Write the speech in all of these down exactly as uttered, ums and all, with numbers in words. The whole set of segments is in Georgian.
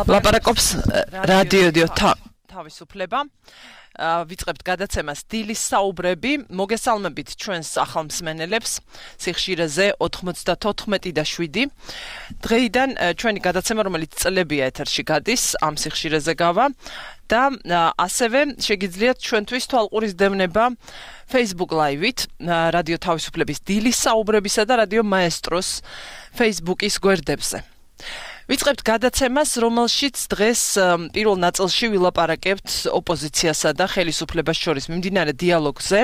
ლაპარაკობს რადიო თავისუფლება. ვიწყებთ გადაცემას დილის საუბრები. მოგესალმებით ჩვენს ახალმსმენელებს სიხშირეზე ოთხმოცდათოთხმეტი და შვიდი. დღეიდან ჩვენი გადაცემა, რომელიც წლებია ეთერში გადის, ამ სიხშირეზე გავა და ასევე შეგიძლიათ ჩვენთვის თვალყურის დევნება Facebook Live-ით, რადიო თავისუფლების დილის საუბრებისა და რადიო მაესტროს Facebook-ის გვერდებზე. ვიწყებთ გადაცემას, რომელშიც დღეს პირველ ნაწილში ვილაპარაკებთ ოპოზიციასა და ხელისუფლებას შორის მიმდინარე დიალოგზე,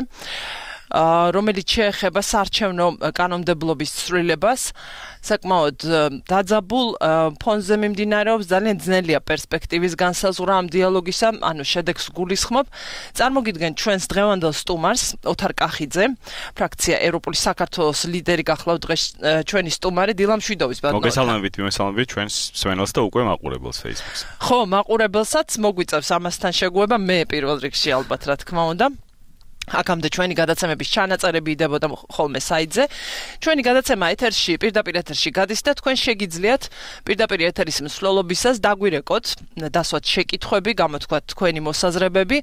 რომელიც შეეხება საარჩევნო კანონმდებლობის ცვლილებას. საკმაოდ დაძაბულ ფონზე მიმდინარეობს, ძალიან ძნელია პერსპექტივის განსაზღვრა ამ დიალოგისა, ანუ შედეგს გულისხმობ. წარმოგიდგენთ ჩვენს დღევანდელ სტუმარს, ოთარ კახიძე, ფრაქცია ევროპული საქართველოს ლიდერი გახლავთ დღეს ჩვენი სტუმარი დილა მშვიდობის ბატონო. მოგესალმებით, მოგესალმებით ჩვენს მსმენელს და უკვე მაყურებელს Facebook-ზე. ხო, მაყურებელსაც მოგვიწევს ამასთან შეგუება, მე პირველ რიგში ალბათ რა თქმა უნდა. აქამდე ჩვენი გადაცემების ჩანაწერები იდებოდა ხოლმე საიტზე. ჩვენი გადაცემა ეთერში, პირდაპირ ეთერში გადის და თქვენ შეგიძლიათ პირდაპირ ეთერის მსვლელობისას დაგვირეკოთ, დასვათ შეკითხვები, გამოთქვათ თქვენი მოსაზრებები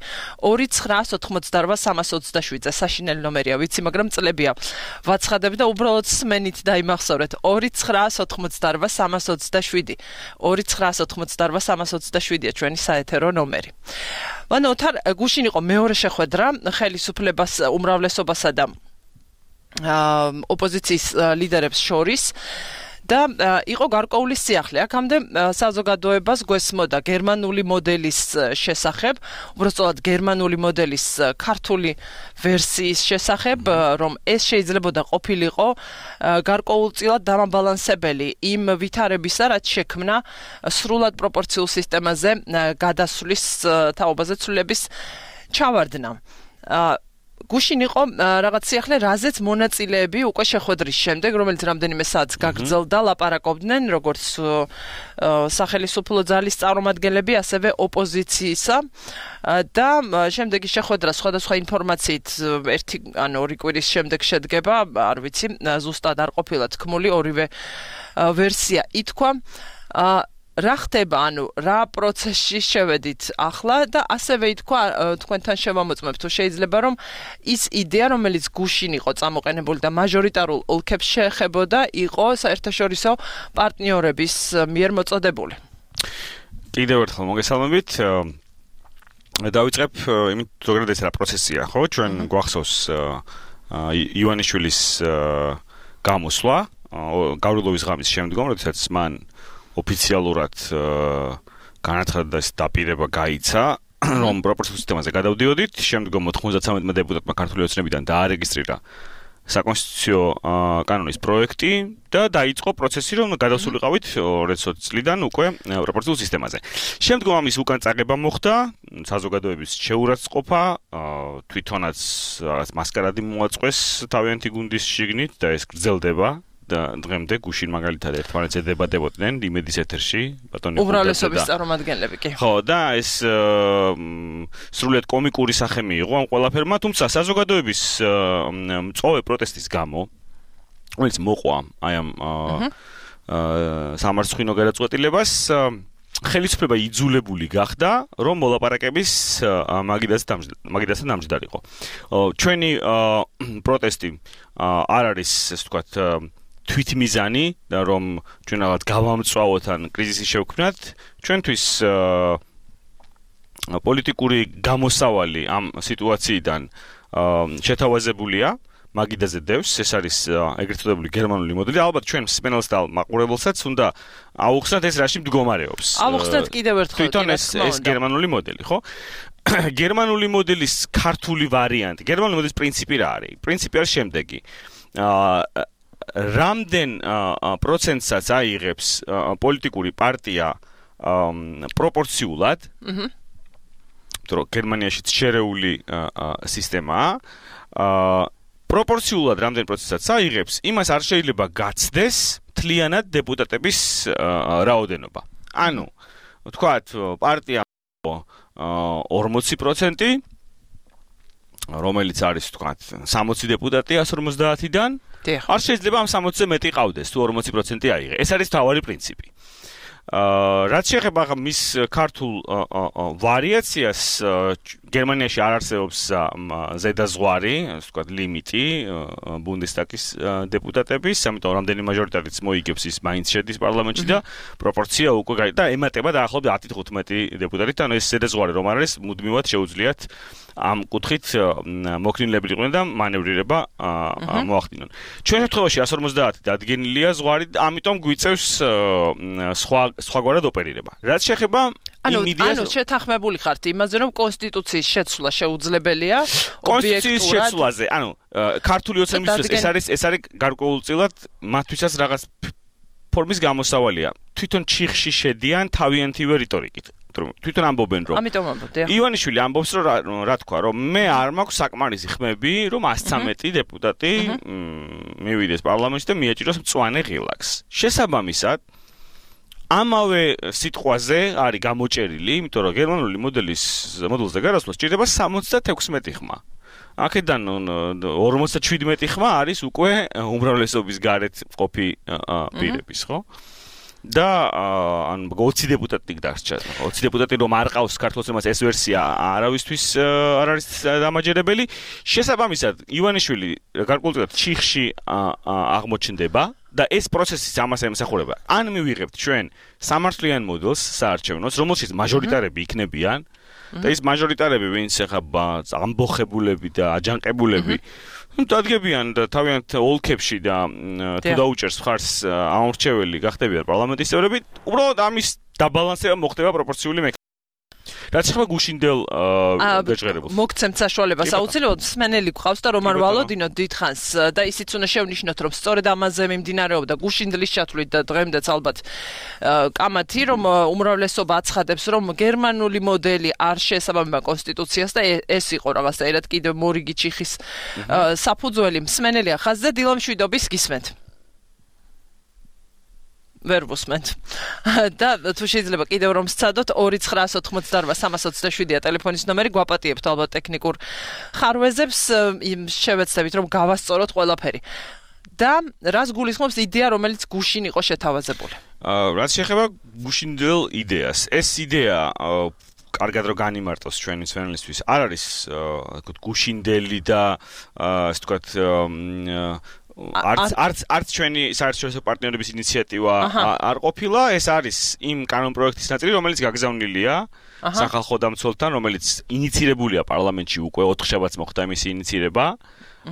ორი ცხრა ოთხმოცდარვა სამას ოცდაშვიდზე საშინელი ნომერია, ვიცი, მაგრამ წლებია ვაცხადებ და უბრალოდ სმენით დაიმახსოვრეთ ორი ცხრა ოთხმოცდარვა სამას ოცდაშვიდი. ორი ცხრა ოთხმოცდარვა სამას ოცდაშვიდია ჩვენი საეთერო ნომერი. მან ოთარ გუშინ იყო მეორე შეხვედრა ხელისუფლებას უმრავლესობასა და ოპოზიციის ლიდერებს შორის და იყო გარკვეული სიახლე. აქამდე საზოგადოებას გვესმოდა გერმანული მოდელის შესახებ, უბრალოდ გერმანული მოდელის ქართული ვერსიის შესახებ, რომ ეს შეიძლებოდა ყოფილიყო გარკვეულწილად დამაბალანსებელი იმ ვითარებისა, რაც შექმნა სრულად პროპორციულ სისტემაზე გადასვლის თაობაზე ცვლილების ჩავარდნა. გუშინ იყო რაღაც სიახლე, რაზეც მონაწილეები უკვე შეხვედრის შემდეგ, რომელიც რამდენიმე საათს გაგრძელდა, ლაპარაკობდნენ, როგორც სახელისუფლო ძალის წარმომადგენლები, ასევე ოპოზიციისა და შემდეგი შეხვედრა სხვადასხვა ინფორმაციით ერთი ან ორი კვირის შემდეგ შედგება, არ ვიცი, ზუსტად არ ყოფილა თქმული, ორივე ვერსია ითქვა. რა ხდება, ანუ რა პროცესში შევედით ახლა და ასევე ითქვა თქვენთან შევამოწმებ თუ შეიძლება რომ ის იდეა რომელიც გუშინ იყო წამოყენებული და მაჟორიტარულ ოლქებს შეეხებოდა იყო საერთაშორისო პარტნიორების მიერ მოწოდებული. კიდევ ერთხელ მოგესალმებით. დავიწყებ იმით ზოგადად ეს რა პროცესია, ხო? ჩვენ გვახსოვს ივანიშვილის გამოსვლა გავრილოვის ღამის შემდგომ, როდესაც მან ოფიციალურად განაცხადა ეს დაპირება გაიცა, რომ პროპორციულ სისტემაზე გადავდიოდით, შემდგომ ოთხმოცდათრამეტმა დეპუტატმა ქართული ოცნებიდან დაარეგისტრირა საკონსტიტუციო კანონის პროექტი და დაიწყო პროცესი, რომ გადავსულიყავით ორი ოცდაოთხ წლიდან უკვე პროპორციულ სისტემაზე. შემდგომ ამის უკან წაღება მოხდა, საზოგადოების შეურაცხყოფა, თვითონაც მასკარადი მოაწყვეს თავიანთი გუნდის შიგნით და ეს გრძელდება. დღემდე გუშინ მაგალითად ერთმანეთს ედებადებოდნენ იმედის ეთერში ბატონი უმრავლესობის წარმომადგენლები კი. ხო, და ეს სრულიად კომიკური სახე მიიღო ამ ყველაფერმა, თუმცა საზოგადოების მწვავე პროტესტის გამო, რომელიც მოყვა აი ამ სამარცხვინო გადაწყვეტილებას, ხელისუფლება იძულებული გახდა, რომ მოლაპარაკების მაგიდასთან დამჯდარიყო. ჩვენი პროტესტი არ არის, ესე ვთქვათ, თვითმიზანი და რომ ჩვენ რაღაც გავამწვავოთ ან კრიზისი შევქმნათ, ჩვენთვის პოლიტიკური გამოსავალი ამ სიტუაციიდან შეთავაზებულია მაგიდაზე დევს, ეს არის ეგრეთ წოდებული გერმანული მოდელი. ალბათ ჩვენ მსმენელს და მაყურებელსაც უნდა აუხსნათ ეს რაში მდგომარეობს. აუხსნათ კიდევ ერთხელ. თვითონ ეს ეს გერმანული მოდელი, ხო? გერმანული მოდელის ქართული ვარიანტი, გერმანული მოდელის პრინციპი რა არის? პრინციპი არის შემდეგი. რამდენ პროცენტსაც აიღებს პოლიტიკური პარტია პროპორციულად, რომ გერმანიაში შერეული სისტემაა, პროპორციულად რამდენ პროცენტსაც აიღებს, იმას არ შეიძლება გაცდეს მთლიანად დეპუტატების რაოდენობა. ანუ, ვთქვათ, პარტია ორმოცი პროცენტი, რომელიც არის, ვთქვათ, სამოცი დეპუტატი εκατს ორმოცდაათიდან, არ შეიძლება ამ სამოცზე მეტი ყავდეს, თუ ორმოცი პროცენტი აიღე. ეს არის თავარი პრინციპი. რაც შეეხება მის ქართულ ვარიაციას, გერმანიაში არ არსებობს ზედაზღვარი, ასე ვთქვათ, ლიმიტი ბუნდესტაგის დეპუტატების, ამიტომ რამდენი მაჟორიტარიც მოიგებს ის მაინც შედის პარლამენტში და პროპორცია უკვე გაი და ემატება დაახლოებით ათი თხუთმეტი დეპუტატით, ანუ ეს ზედაზღვარი რომ არის, მუდმივად შეუძლიათ ამ კუთხით მოქნილებლიყვნენ და მანევრირება მოახდინონ. ჩვენ შემთხვევაში εκατს ორმოცდაათი დადგენილია ზღვარი, ამიტომ გვიწევს სხვა სხვაგვარად ოპერირება. რაც შეეხება ანუ ანუ შეთანხმებული ხართ იმაზე, რომ კონსტიტუციის შეცვლა შეუძლებელია კონსტიტუციის შეცვლაზე. ანუ ქართული ოცნებისთვის ეს არის ეს არის გარკვეულწილად მათთვისაც რაღაც ფორმის გამოსავალია. თვითონ ჩიხში შედიან თავიანთივე რიტორიკით. თვითონ ამბობენ რომ ამიტომ ამბობდია. ივანიშვილი ამბობს რომ რა თქვა რომ მე არ მაქვს საკმარისი ხმები რომ εκατს ცხრამეტი დეპუტატი მივიდეს პარლამენტში და მიაჭიროს მწვანე ღილაკს. შესაბამისად ამავე სიტყვაზე არის გამოჭერილი, იმიტომ რომ გერმანული მოდელის მოდელზე გარასვლა სჭირდება სამოცდათექვსმეტი ხმა. აქედან ორმოცდაჩვიდმეტი ხმა არის უკვე უმრავლესობის გარეთ მყოფი პირების, ხო? და ან ოცი დეპუტატი დარჩა. ოცი დეპუტატი რომ არ ყავს ქართულს ეს ვერსია არავისთვის არ არის დამაჯერებელი. შესაბამისად, ივანიშვილი გარკვეულწილად ჩიხში აღმოჩნდება და ეს პროცესი ამას ემსახურება. ან მივიღებთ ჩვენ სამართლიან მოდელს საარჩევნოს, რომელშიც მაჟორიტარები იქნებიან და ეს მაჟორიტარები, ვინც ეხება ამბოხებულები და აჯანყებულები დადგებიან და თავიანთ ოლქებში და თუ დაუჭერს მხარს ამორჩეველი გახდებიან პარლამენტის წევრები, უბრალოდ ამის დაბალანსება მოხდება პროპორციული მექანიზმით. რაც ხება გუშინდელ გაჟღერებულს. მოგცემთ საშუალებას აუცილებლად მსმენელი გყავს და რომან ვალოდინოთ დიდხანს და ისიც უნდა შევნიშნოთ, რომ სწორედ ამაზე მიმდინარეობდა გუშინდლის ჩათვლით და დღემდეც ალბათ კამათი, რომ უმრავლესობა აცხადებს, რომ გერმანული მოდელი არ შეესაბამება კონსტიტუციას და ეს იყო რაღაცა ერთად კიდევ მორიგი ჩიხის საფუძველი. მსმენელია ხაზზე დილამშვიდობის გისმენთ. ვერ ვუსმენთ. და თუ შეიძლება კიდევ რომ სცადოთ ორი ცხრაას ოთხმოცდაორვა სამას ოცდაშვიდია ტელეფონის ნომერი, გვაპატიებთ ალბათ ტექნიკურ ხარვეზებს, შევეცდებით რომ გავასწოროთ ყველაფერი. და რას გულისხმობს იდეა, რომელიც გუშინ იყო შეთავაზებული? რაც შეეხება გუშინდელ იდეას, ეს იდეა კარგად რო განიმარტოს ჩვენი მსმენელისთვის, არ არის გუშინდელი და ასე ვთქვათ არც არც არც ჩვენი საერთაშორისო პარტნიორების ინიციატივა არ ყოფილა, ეს არის იმ კანონპროექტის ნაწილი, რომელიც გაგზავნილია სახალხო დამცველთან, რომელიც ინიცირებულია პარლამენტში უკვე ოთხშაბათს მოხდა მისი ინიცირება,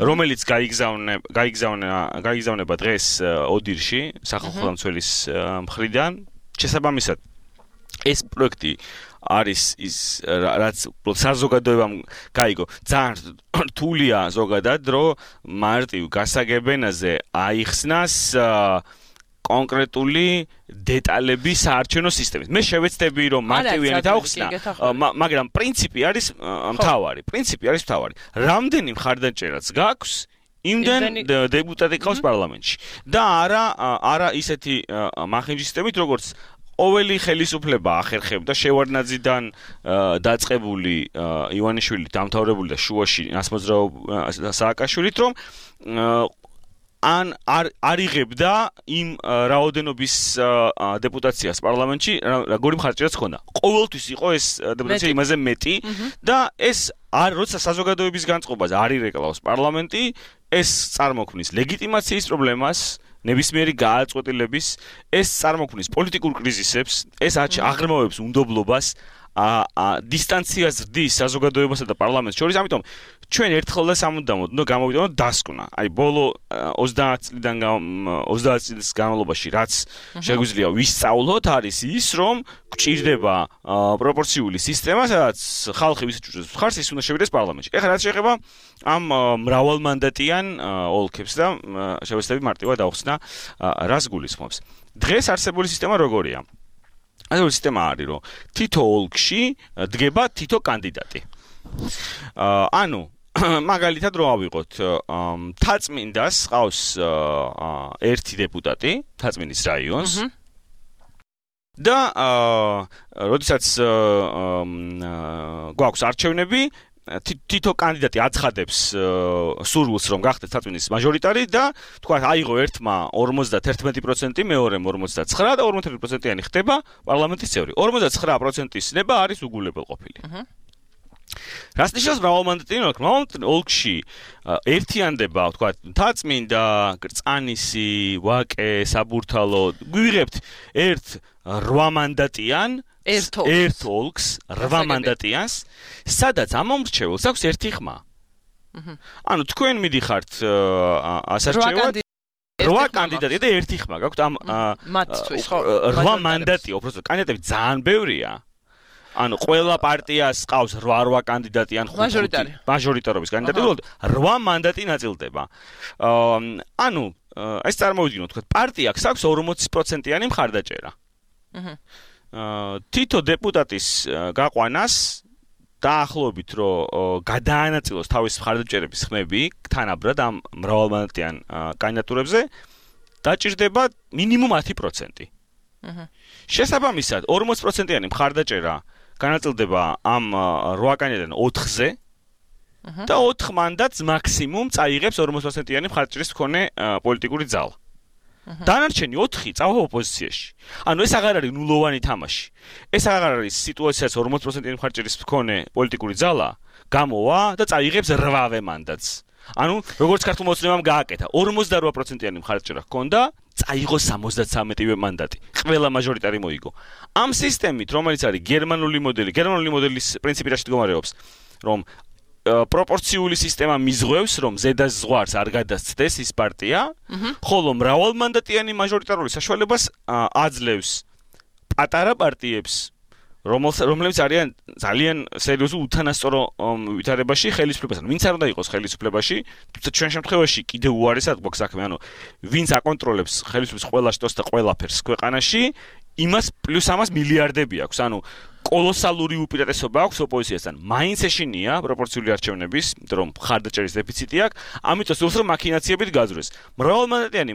რომელიც გაიგზავნა გაიგზავნა გაიგზავნება დღეს ოდირში სახალხო დამცველის მხრიდან. შესაბამისად ეს პროექტი არის ის რაც საზოგადოებამ გაიგო. ძალიან რთულია ზოგადად, რომ მარტივ გასაგებენაზე აიხსნას კონკრეტული დეტალები საარჩევნო სისტემის. მე შევეცდები რომ მარტივიანით ავხსნა, მაგრამ პრინციპი არის მთავარი. პრინციპი არის მთავარი. რამდენი მხარდაჭერაც გაქვს, იმდენ დეპუტატი ყავს პარლამენტში. და არა არა ისეთი მახინჯი სისტემით, როგორც ყოველი ხელისუფლება ახერხებდა შევარდნაძიდან დაწყებული ივანიშვილი დამთავრებული და შუაში ნასმოძრაო სააკაშვილით, რომ ან არ არიღებდა იმ რაოდენობის დეპუტაციას პარლამენტში, როგორი მხარდაჭერაც ჰქონდა. ყოველთვის იყო ეს დეპუტაცია იმაზე მეტი და ეს არ როცა საზოგადოების განწყობაზე არ ირეკლავს პარლამენტი, ეს წარმოქმნის ლეგიტიმაციის პრობლემას, ნებისმიერი გააწყვეტილების, ეს წარმოქმნის პოლიტიკურ კრიზისებს, ეს აღრმავებს უნდობლობას, დისტანციას ზრდის საზოგადოებასა და პარლამენტს შორის, ამიტომ ჩვენ ერთხელ და სამუდამოდ უნდა გამოვიდოდოთ დასკვნა. აი ბოლო ოცდაათი წლიდან ოცდაათი წლის განმავლობაში რაც შეგვიძლია ვისწავლოთ, არის ის, რომ გვჭირდება პროპორციული სისტემა, სადაც ხალხი ვისაჭურებს მხარს, ის უნდა შევიდეს პარლამენტში. ეხლა რაც შეეხება ამ მრავალმანდატიან ოლქებს და შევეცდები მარტივად ავხსნა, რას გულისხმობს. დღეს არსებული სისტემა როგორია? ასეთი სისტემა არის, რომ თითო ოლქში დგება თითო კანდიდატი. ანუ მაგალითად რო ავიღოთ, თაწმინდას ყავს ერთი დეპუტატი, თაწმინდის რაიონს. და როდესაც გვაქვს არჩევნები, თითო კანდიდატი აცხადებს სურვილს რომ გახდეს საწვინის მაჟორიტარი და თქვა აიღო ერთმა ორმოცდაერთი პროცენტი, მეორემ ორმოცდაცხრა და ორმოცდაერთი პროცენტიანი ხდება პარლამენტის წევრი. ორმოცდაცხრა პროცენტის ნება არის უგულებელყოფილი. რას ნიშნავს მრავალმანდატიანი ოლქი? მრავალმანდატიანი ოლქში ერთიანდება, თქვა, მთაწმინდა, კრწანისი, ვაკე, საბურთალო, გვიღებთ ერთ რვამანდატიან ერთ ოლქს, რვა მანდატიანს, სადაც ამ მომრჩეველს აქვს ერთი ხმა. ანუ თქვენ მიდიხართ ასარჩევად რვა კანდიდატი და ერთი ხმა გაქვთ ამ მათთვის, ხო? რვა მანდატი, უბრალოდ კანდიდატები ძალიან ბევრია. ანუ ყველა პარტიას ყავს რვა რვა კანდიდატი ან ხუთი მაჟორიტარობის კანდიდატი, უბრალოდ რვა მანდატი ნაწილდება. ანუ ეს წარმოვიდგინოთ, თქვა პარტია აქვს ორმოცი პროცენტიანი მხარდაჭერა. თითო დეპუტატის გაყვანას დაახლოებით რომ გადაანაწილოს თავის მხარდაჭერების ხმები თანაბრად ამ მრავალმანდატიან კანდიდატურებზე დაჭირდება მინიმუმ ათი პროცენტი. შესაბამისად ორმოცი პროცენტიანი მხარდაჭერა განაწილდება ამ რვა კანდიდატიდან ოთხზე და ოთხ მანდატს მაქსიმუმ წაიღებს ორმოცი პროცენტიანი მხარდაჭერის მქონე პოლიტიკური ძალა. დანარჩენი ოთხი წავა ოპოზიციაში. ანუ ეს აღარ არის ნულოვანი თამაში. ეს აღარ არის სიტუაციაც ორმოცი პროცენტიანი მხარდაჭერის მქონე პოლიტიკური ძალა გამოვა და წაიღებს რვავე მანდატს. ანუ როგორც ქართულ მოცემამ გააკეთა, ორმოცდარვა პროცენტიანი მხარდაჭერა ჰქონდა, წაიღო სამოცდათვრამეტივე მანდატი. ყველა მაჟორიტარი მოიგო. ამ სისტემით, რომელიც არის გერმანული მოდელი, გერმანული მოდელის პრინციპი რაში მდგომარეობს, რომ პროპორციული სისტემა მიზღვევს, რომ ზედა ზღვარს არ გადასცდეს ის პარტია, ხოლო მრავალმანდატიანი მაჟორიტარული საშუალებას აძლევს პატარა პარტიებს, რომლებიც არიან ძალიან სერიოზულ უთანასწორო ვითარებაში ხელისუფლებასთან. ვინც არ უნდა იყოს ხელისუფლებაში, თუმცა ჩვენ შემთხვევაში კიდევ უარესად გვაქვს საქმე, ანუ ვინც აკონტროლებს ხელისუფლების ყველა შტოს და ყველაფერს ქვეყანაში, იმას პლუს ამას მილიარდები აქვს. ანუ კოლოსალური უპირატესობა აქვს ოპოზიციასთან. მაინც ეშინია პროპორციული არჩევნების, რომ მხარდაჭერის დეფიციტი აქვს, ამიტომ სულს რომ მაქინაციებით გაძვრეს. მრავალმანდატიანი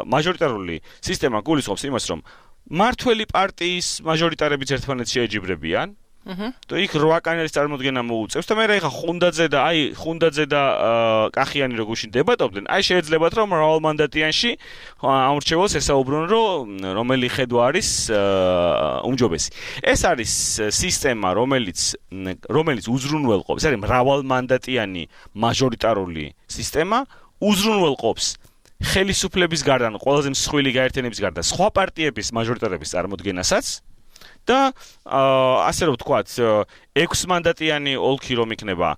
მაჟორიტარული სისტემა გულისხმობს იმას, რომ მართველი პარტიის მაჟორიტარებიც ერთმანეთს შეეჯიბრებიან. და იქ რვა კანდიდატის წარმოდგენა მოუწევს და მე რა ეხა ხუნდაძე და აი ხუნდაძე და კახიანი რო გუშინ დებატობდნენ, აი შეიძლებათ რომ მრავალმანდატიანში ამორჩეველს ესაუბრონ რომ რომელი ხედვა არის უმჯობესი. ეს არის სისტემა, რომელიც რომელიც უზრუნველყოფს, ეს არის მრავალმანდატიანი მაჟორიტარული სისტემა, უზრუნველყოფს ხელისუფლების გარდა, ყველაზე მსხვილი გაერთიანების გარდა სხვა პარტიების მაჟორიტარების წარმოდგენასაც და ასე რომ ვთქვათ, ექვსმანდატიანი ოლქი რომ იქნება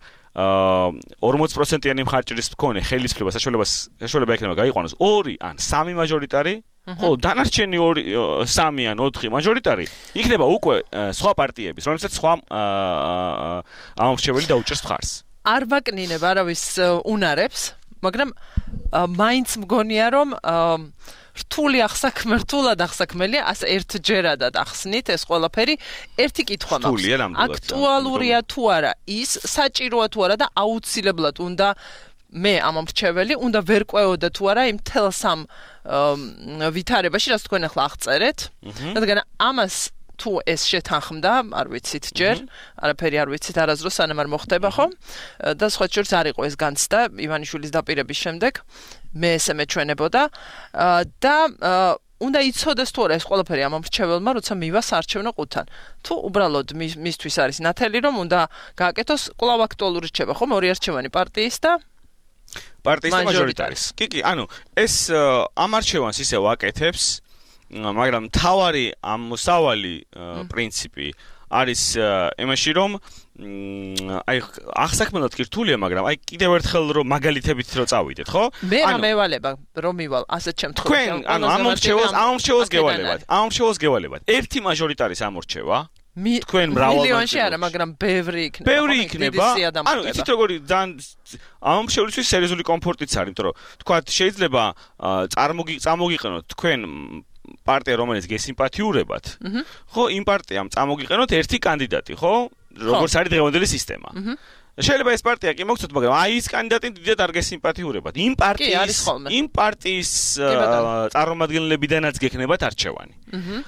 ორმოცი პროცენტიანი მხარდაჭერის მქონე ხელისუფლება საშუალებას საშუალება იქნება გაიყვანოს ორი ან სამი მაჟორიტარი, ხოლო დანარჩენი ორი სამი ან ოთხი მაჟორიტარი იქნება უკვე სხვა პარტიების, რომელსაც სხვა ამორჩეველი დაუჭერს მხარს. არ ვაკნინებ არავის უნარებს, მაგრამ მაინც მგონია რომ რთული ახსაქმე, რთულად ახსაქმელია, ასე ერთჯერადად ახსნით ეს ყველაფერი. ერთი კითხვა მაქვს. აქტუალურია თუ არა ის, საჭიროა თუ არა და აუცილებლად უნდა მე ამ მრჩეველი უნდა ვერ ყვეოდა თუ არა იმ თელს ამ ვითარებაში, რაც თქვენ ახლა აღწერეთ. რადგან ამას თუ ეს შეთანხმდა, არ ვიცით ჯერ, არაფერი არ ვიცით არასდროს სანამ არ მოხდება, ხო? და სხვა შორის არ იყო ეს განცდა ივანიშვილის დაპირების შემდეგ. მე ესე მეჩვენებოდა და უნდა იცოდეს თუ არა ეს ყველაფერი ამ მრჩეველმა, როცა მივა საარჩევნო ყუთთან. თუ უბრალოდ მისთვის არის ნათელი, რომ უნდა გააკეთოს, კვლავ აქტუალური რჩება, ხო? ორი არჩევანი პარტიის და პარტიის და მაჟორიტარის. კი, კი, ანუ ეს ამ არჩევანს ისევ აკეთებს, მაგრამ თავარი ამ მოსავალი პრინციპი არის იმაში, რომ აი ახსაქმელად კი რთულია, მაგრამ აი კიდევ ერთხელ რომ მაგალითებით რო წავიდეთ, ხო? მე რა მევალება რომ მივალ ასეთ შემთხვევაში. თქვენ ანუ ამ მრჩეველს ამ მრჩეველს გევალებათ. ამ მრჩეველს გევალებათ. ერთი მაჟორიტარის ამორჩევა თქვენ მრავალ მილიონში არა, მაგრამ ბევრი იქნება. ბევრი იქნება. ანუ იცით როგორი ძალიან ამ მრჩევლისთვის სერიოზული კომფორტიც არის, იმიტომ რომ თქვა შეიძლება წარმოგიყენოთ თქვენ პარტია რომელიც გესიმპათიურებათ, ხო, იმ პარტიამ წამოგიყენოთ ერთი კანდიდატი, ხო? როგორც არის დღევანდელი სისტემა. შეიძლება ეს პარტია კი მოგცოთ, მაგრამ აი ის კანდიდატი დიდად არ გესიმპათიურებათ. იმ პარტიის იმ პარტიის წარმომადგენლებიდანაც გექნებათ არჩევანი.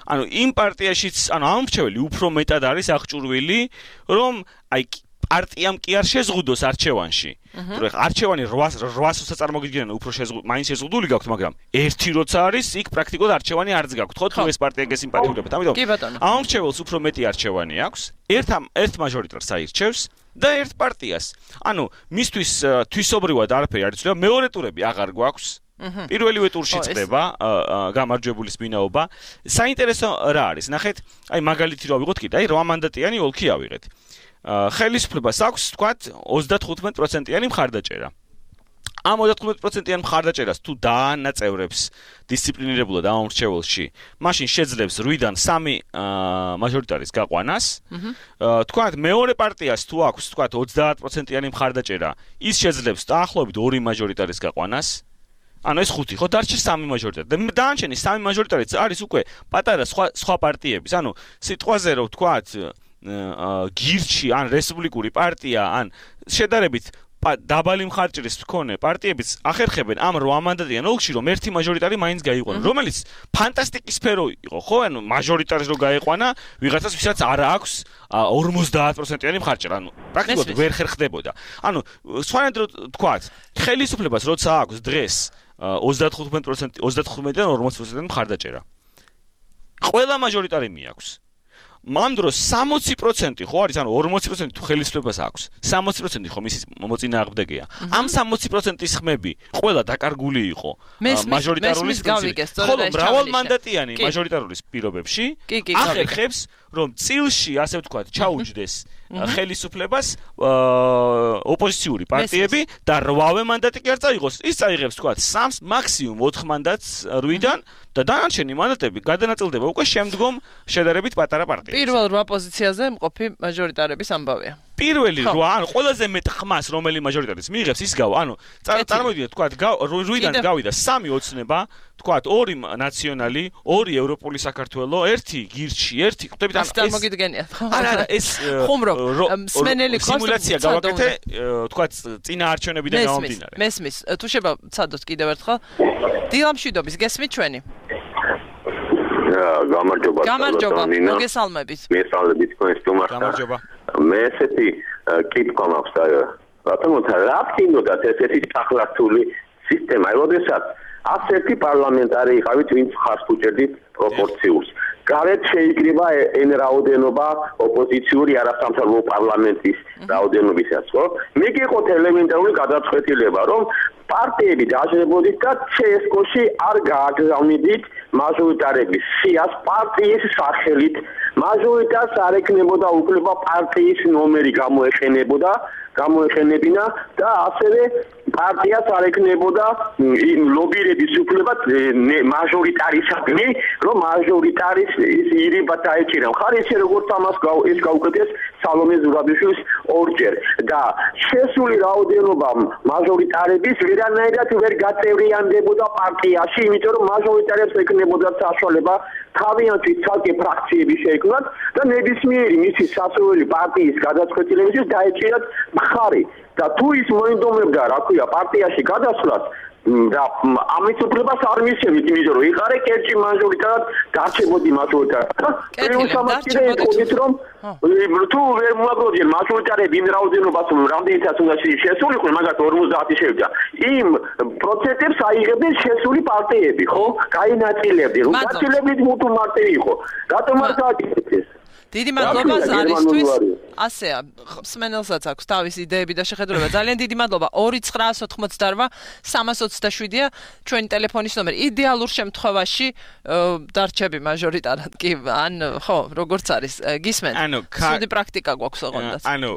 ანუ იმ პარტიაშიც, ანუ ამ მრჩეველი უფრო მეტად არის აღჭურვილი, რომ აი პარტიამ კი არ შეზღუდოს არჩევანში. თუ ეხლა არჩევანი რვასოც წარმოგიდგენენ, უფრო შეზღუდ, მაინც შეზღუდული გაქვთ, მაგრამ ერთი როცა არის, იქ პრაქტიკულად არჩევანი არც გაქვთ, ხო? თუ ეს პარტია გესიმპათიურებთ. ამიტომ ამ მრჩეველს უფრო მეტი არჩევანი აქვს. ერთ ერთ მაჟორიტარს აირჩევს და ერთ პარტიას. ანუ მისთვის თვისობრივად არაფერი არ იცვლება, მეორე ტურები აღარ გვაქვს. პირველივე ტურში წდება გამარჯვებულის ვინაობა. საინტერესო რა არის? ნახეთ, აი მაგალითი რა ვიღოთ კიდე, აი რვა მანდატიანი ოლქი ავიღეთ. ხელისუფლებას აქვს, თქვათ, ოცდათხუთმეტ პროცენტიანი მხარდაჭერა. ამ ოცდათხუთმეტ პროცენტიან მხარდაჭერას თუ დაანაწევრებს დისციპლინირებულად ამ მრჩეველში, მაშინ შეძლებს რვიდან სამი მაჟორიტარის გაყვანას. თქვათ, მეორე პარტიას თუ აქვს, თქვათ, ოცდაათ პროცენტიანი მხარდაჭერა, ის შეძლებს დაახლოებით ორი მაჟორიტარის გაყვანას. ანუ ეს ხუთი, ხო, დარჩა სამი მაჟორიტარი. და დანარჩენი სამი მაჟორიტარიც არის უკვე პატარა სხვა სხვა პარტიების. ანუ სიტყვაზე რომ თქვათ, გირჩი ან რესპუბლიკური პარტია ან შედარებით დაბალი მხარჭირის მქონე პარტიებიც ახერხებენ ამ რვა მანდატიან ოლქში რომ ერთი მაჟორიტარი მაინც გაიყვანონ, რომელიც ფანტასტიკი სფერო იყო, ხო? ანუ მაჟორიტარს რო გაიყვანა, ვიღაცას ვისაც არ აქვს ორმოცდაათ პროცენტიანი მხარჭირა, ანუ პრაქტიკულად ვერ ხერხდებოდა. ანუ სხვანაირად თქვათ, ხელისუფლებას როცა აქვს დღეს ოცდათხუთმეტ პროცენტი ოცდათხუთმეტიდან ორმოც პროცენტიანი მხარდაჭერა. ყველა მაჟორიტარი მიაქვს. მამ დროს სამოცი პროცენტი ხო არის, ანუ ორმოცი პროცენტი თუ ხელისუფლებას აქვს, სამოცი პროცენტი ხო მისი მოწინააღმდეგეა. ამ სამოცი პროცენტის ხმები ყველა დაკარგული იყო მაჟორიტარულის პრინციპით. ხოლო მრავალმანდატიანი მაჟორიტარულის პირობებში ახერხებს, რომ წილში, ასე ვთქვათ, ჩაუჯდეს ხელისუფლებას ოპოზიციური პარტიები და რვავე მანდატი კი არ წაიღოს. ის წაიღებს, ვთქვათ, სამს, მაქსიმუმ ოთხ მანდატს რვიდან და დანარჩენი მანდატები გადანაწილდება უკვე შემდგომ შედარებით პატარა პარტიებს. პირველ რვა პოზიციაზე მყოფი მაჟორიტარების ამბავია. პირველი რვა, ანუ ყველაზე მეტ ხმას რომელი მაჟორიტარის მიიღებს, ის გავა. ანუ წარმოვიდგინეთ, თქვათ, რვიდან გავიდა სამი ოცნება, თქვათ, ორი ნაციონალი, ორი ევროპული საქართველო, ერთი გირჩი, ერთი, ხვდებით, ანუ ეს წარმოგიდგენიათ, ხო? არა, არა, ეს ხუმრო, მსმენელი ხოს სიმულაცია გავაკეთე, თქვათ, წინა არჩევნებიდან გამომდინარე. მესმის, თუ შევა ცადოთ კიდევ ერთხელ. დილამშვიდობის, გესმით ჩვენი? გამარჯობა. გამარჯობა, მოგესალმებით. მესალმებით თქვენს სტუმარს. გამარჯობა. მე ესეთი კითხვა მაქვს, რატომოთ რა გქონდათ ესეთი ახალსული სისტემა, როდესაც ასეთი პარლამენტარი იყავით, ვინც ხარს უჭერდით პროპორციულს. გარეთ შეიკრიბა ენ რაოდენობა ოპოზიციური არასამთავრობო პარლამენტის რაოდენობისას, ხო? მე გიყოთ ელემენტარული გადაწყვეტილება, რომ პარტიები დაჟღერებოდით და ცსკ-ში არ გააგზავნიდით მაჟორიტარების სიას პარტიის სახელით. მაჟორიტარს არ ექნებოდა უფლება პარტიის ნომერი გამოეყენებოდა, გამოეყენებინა და ასევე პარტიას არ ექნებოდა ლობირების უფლება მაჟორიტარისადმი, რომ მაჟორიტარის ირიბა დაეჭირა. ხარისე როგორც ამას ეს გაუკეთეს სალომე ზურაბიშვილის ორჯერ და შესული რაოდენობა მაჟორიტარების ვერანაირად ვერ გაწევრიანდებოდა პარტიაში, იმიტომ რომ მაჟორიტარებს ექნებოდა საშუალება თავიანთი ცალკე ფრაქციები შეექმნათ და ნებისმიერი მისი სასურველი პარტიის გადაწყვეტილებისთვის დაეჭირათ მხარი. და თუ ის მოინდომებდა, რა ქვია, პარტიაში გადასვლას და ამის უფლებას არ მისცემით, იმიტომ რომ იყარე კერჭი მაჟორიტარად დარჩებოდი მაჟორიტარად. პრინციპად კიდე ეთქოდით, რომ თუ ვერ მოაგროვდნენ მაჟორიტარები იმ რაოდენობას, რამდენიცაც უნდა შესულიყო, მაგათ ორმოცდაათი შევიდა. იმ პროცენტებს აიღებდნენ შესული პარტიები, ხო? გაინაწილებდნენ. გაწილებდით მუთუ მარტი იყო. რატომ არ გააკეთეს? დიდი მადლობა ზარისთვის. ასეა, მსმენელსაც აქვს თავისი იდეები და შეხედულება. ძალიან დიდი მადლობა. ორი ცხრაას ოთხმოცდარვა სამას ოცდაშვიდია ჩვენი ტელეფონის ნომერი. იდეალურ შემთხვევაში დარჩები მაჟორიტარად კი, ან ხო, როგორც არის, გისმენთ. სუდი პრაქტიკა გვაქვს ოღონდაც. ანუ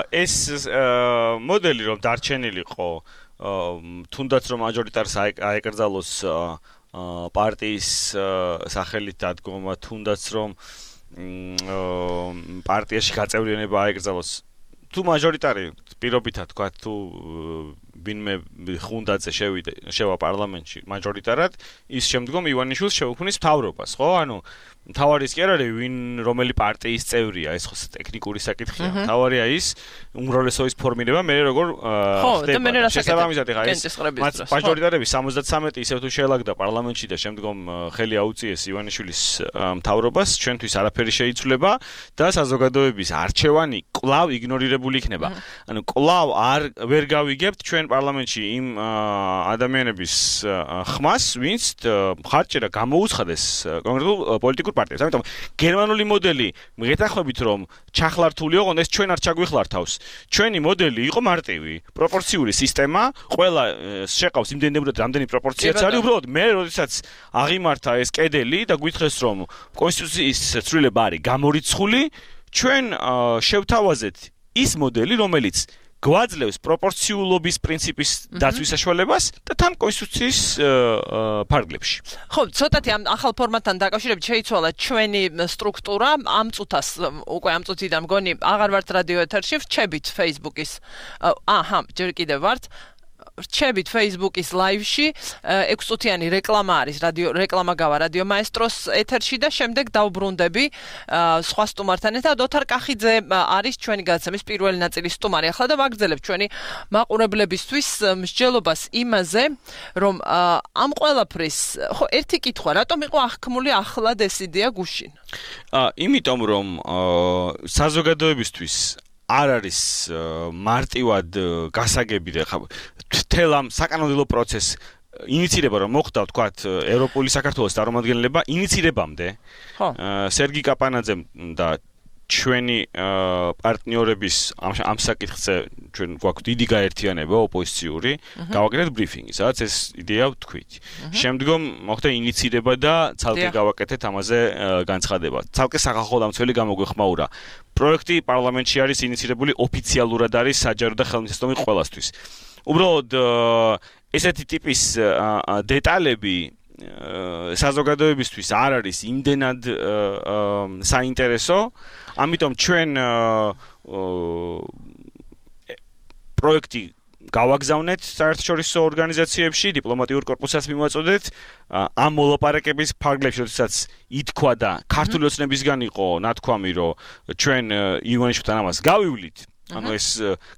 ეს მოდელი რომ დარჩენილიყო, თუნდაც რომ მაჟორიტარს აეკრძალოს პარტიის სახელით დადგომა, თუნდაც რომ პარტიაში გაწევრიანება აეკრძალოს, თუ მაჟორიტარი პირობითად თქვა, თუ ვინმე ხუნდაძე შევიდა შევა პარლამენტში მაჟორიტარად, ის შემდგომ ივანიშვილს შეუქმნის მთავრობას, ხო? ანუ მთავარი ის კი არ არის ვინ რომელი პარტიის წევრია, ეს ხო ტექნიკური საკითხია. მთავარია ის უმრავლესობის ფორმირება, მე როგორ ხდება. შესაბამისად ხა ეს მაჟორიტარები სამოცდათრამეტი ისევ თუ შეელაგდა პარლამენტში და შემდგომ ხელი აუწიეს ივანიშვილის მთავრობას, ჩვენთვის არაფერი შეიცვლება და საზოგადოების არჩევანი კვლავ იგნორირებული იქნება. ანუ კვლავ არ ვერ გავიგებთ ჩვენ პარლამენტში იმ ადამიანების ხმას, ვინც მხარჭერა გამოუცხადეს კონკრეტულ პოლიტიკურ პარტიებს. ამიტომ გერმანული მოდელი მიგეთახმებით რომ ჩახლართული ოღონდ ეს ჩვენ არ ჩაგვიხლარ თავს. ჩვენი მოდელი იყო მარტივი, პროპორციული სისტემა, ყველა შეყავს იმდენებურად რამდენი პროპორციაც არის, უბრალოდ მე როდესაც აღიმართა ეს კედელი და გვითხრეს რომ კონსტიტუციის ცვლილება არის გამორიცხული, ჩვენ შევთავაზეთ ის მოდელი, რომელიც გვაძლევს პროპორციულობის პრინციპის დაცვის საშუალებას და თან კონსტიტუციის ფარგლებში. ხო, ცოტათი ამ ახალ ფორმატთან დაკავშირებით შეიცვალა ჩვენი სტრუქტურა, ამ წუთას უკვე ამ წუთიდან მგონი აღარ ვართ რადიო ეთერში, რჩებით Facebook-ის. აჰა, ჯერ კიდევ ვართ. რჩებით Facebook-ის live-ში, ექვს წუთიანი რეკლამა არის, რადიო რეკლამა გავა რადიო მაესტროს ეთერში და შემდეგ დავბრუნდები სხვა სტუმართან ერთად. ოთარ კახიძე არის ჩვენი გადაცემის პირველი ნაწილის სტუმარი. ახლა და ვაგრძელებ ჩვენი მაყურებლებისთვის მსჯელობას იმაზე, რომ ამ ყველაფრის, ხო, ერთი კითხვა, რატომ იყო აღქმული ახლად ეს იდეა გუშინ? იმიტომ რომ საზოგადოებისთვის არ არის მარტივად გასაგები და ხა მთელ ამ საკანონმდებლო პროცესს ინიცირება რომ მოხდა ვთქვათ ევროპული საქართველოს წარმომადგენლება ინიცირებამდე სერგი კაპანაძემ და ჩვენი პარტნიორების ამ საკითხზე ჩვენ გვაქვს დიდი გაერთიანება ოპოზიციური გავაკეთეთ ბრიფინგი სადაც ეს იდეა ვთქვით შემდგომ მოხდა ინიცირება და ცალკე გავაკეთეთ ამაზე განცხადება ცალკე სახალხო დამცველი გამოგვეხმაურა პროექტი პარლამენტში არის ინიცირებული ოფიციალურად არის საჯარო და ხელმისაწვდომი ყველასთვის უბრალოდ ესეთი ტიპის დეტალები საზოგადოებისთვის არ არის იმდენად საინტერესო ამიტომ ჩვენ პროექტი გავაგზავნეთ საერთაშორისო ორგანიზაციებში დიპლომატიურ კორპუსსაც მივაწოდეთ ამ მოლაპარაკების ფარგლებში როდესაც ითქვა და ქართული ოცნებისგან იყო ნათქვამი რომ ჩვენ ივანიშვილთან ამას გავივლით ანუ ეს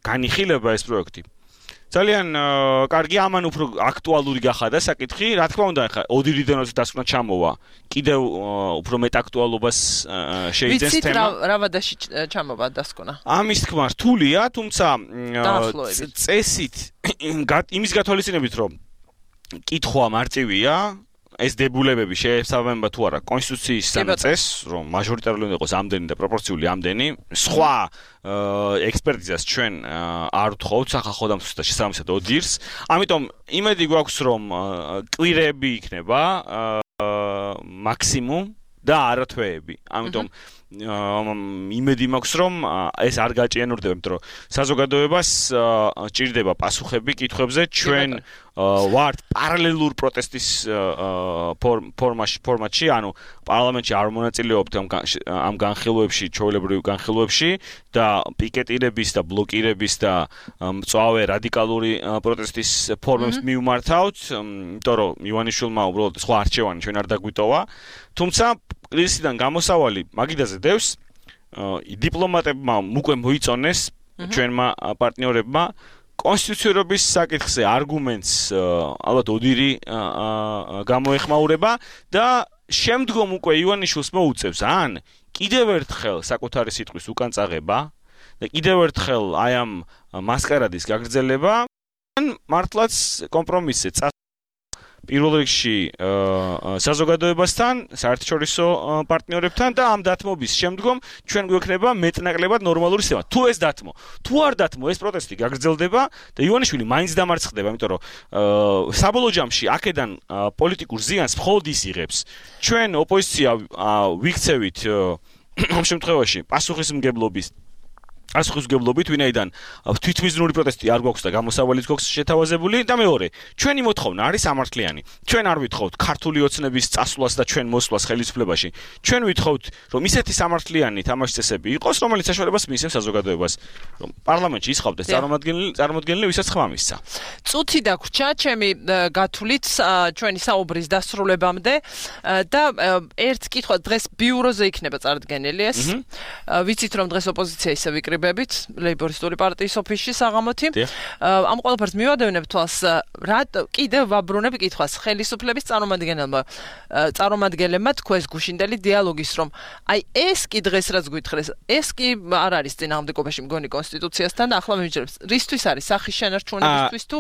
განიხილება ეს პროექტი ძალიან კარგი ამან უფრო აქტუალური გახადა საკითხი რა თქმა უნდა ხა ოდირიდან როცა დასკვნა ჩამოვა კიდევ უფრო მეტ აქტუალობას შეიძენს თემა ვიცით რა ვადაში ჩამოვა დასკვნა ამის თქმა რთულია თუმცა წესით იმის გათვალისწინებით რომ კითხვა მარტივია ეს დებულებები შეესაბამება თუ არა კონსტიტუციის წესს, რომ მაჟორიტარული უნდა იყოს ამდენი და პროპორციული ამდენი, სხვა ექსპერტიზას ჩვენ არ ვთხოვთ სახალხო დამცველს და შესაბამისად ოდირს. ამიტომ იმედი გვაქვს რომ კვირები იქნება მაქსიმუმ და არა თვეები. ამიტომ იმედი მაქვს რომ ეს არ გაჭიანურდება, იმიტომ რომ საზოგადოებას ჭირდება პასუხები კითხვებზე ჩვენ ვართ პარალელურ პროტესტის ფორმაში ფორმატში, ანუ პარლამენტში არ მონაწილეობთ ამ განხილვებში, ჩვეულებრივ განხილვებში და პიკეტირების და ბლოკირების და მწვავე რადიკალური პროტესტის ფორმებს მივმართავთ, იმიტომ რომ ივანიშვილმა უბრალოდ სხვა არჩევანი ჩვენ არ დაგვიტოვა, თუმცა კრიზისიდან გამოსავალი მაგიდაზე დევს დიპლომატებმა უკვე მოიწონეს ჩვენმა პარტნიორებმა კონსტიტუციურობის საკითხზე არგუმენტს ალბათ ოდირი გამოეხმაურება და შემდგომ უკვე ივანიშვილს მოუწევს ან კიდევ ერთხელ საკუთარი სიტყვის უკან წაღება და კიდევ ერთხელ აი ამ მასკარადის გაგრძელება ან მართლაც კომპრომისზე პირველ რიგში საზოგადოებასთან, საერთაშორისო პარტნიორებთან და ამ დათმობის შემდგომ ჩვენ გვექნება მეტნაკლებად ნორმალური სისტემა. თუ ეს დათმო, თუ არ დათმო, ეს პროტესტი გაგრძელდება და ივანიშვილი მაინც დამარცხდება, იმიტომ რომ საბოლოო ჯამში აქედან პოლიტიკურ ზიანს მხოლოდ ის იღებს. ჩვენ ოპოზიცია ვიქცევით ამ შემთხვევაში პასუხისმგებლობის არც ხუზგებლობით, ვინაიდან თვითმიზნური პროტესტი არ გვაქვს და გამოსავალიც გვაქვს შეთავაზებული და მეორე, ჩვენი მოთხოვნა არის სამართლიანი. ჩვენ არ ვითხოვთ ქართული ოცნების წასვლას და ჩვენ მოსვლას ხელისუფლებაში. ჩვენ ვითხოვთ, რომ ისეთი სამართლიანი თამაშის წესები იყოს, რომელიც საშუალებას მიისმენს საზოგადოებას, რომ პარლამენტში ისხავდეს წარმომადგენელი, წარმომადგენელი, ვისაც ხმა მისცა. წუთი დაგვრჩა ჩემი გათვლით ჩვენი საუბრის დასრულებამდე და ერთ კითხვა დღეს ბიუროზე იქნება წარდგენილი ეს. ვიცით რომ დღეს ოპოზიცია ისე ვიკრიბებით ლეიბორისტული პარტიის ოფისში საღამოთი. ამ ყველაფერს მივადევნებ თვალს რა კიდევ ვაბრუნებ კითხვას ხელისუფლების წარმომადგენელმა წარმომადგენლებმა თქვეს გუშინდელი დიალოგის რომ აი ეს კი დღეს რაც გვითხრეს ეს კი არ არის წინააღმდეგობაში მგონი კონსტიტუციასთან და ახლა მივიჯერებს რისთვის არის სახის შენარჩუნებისთვის თუ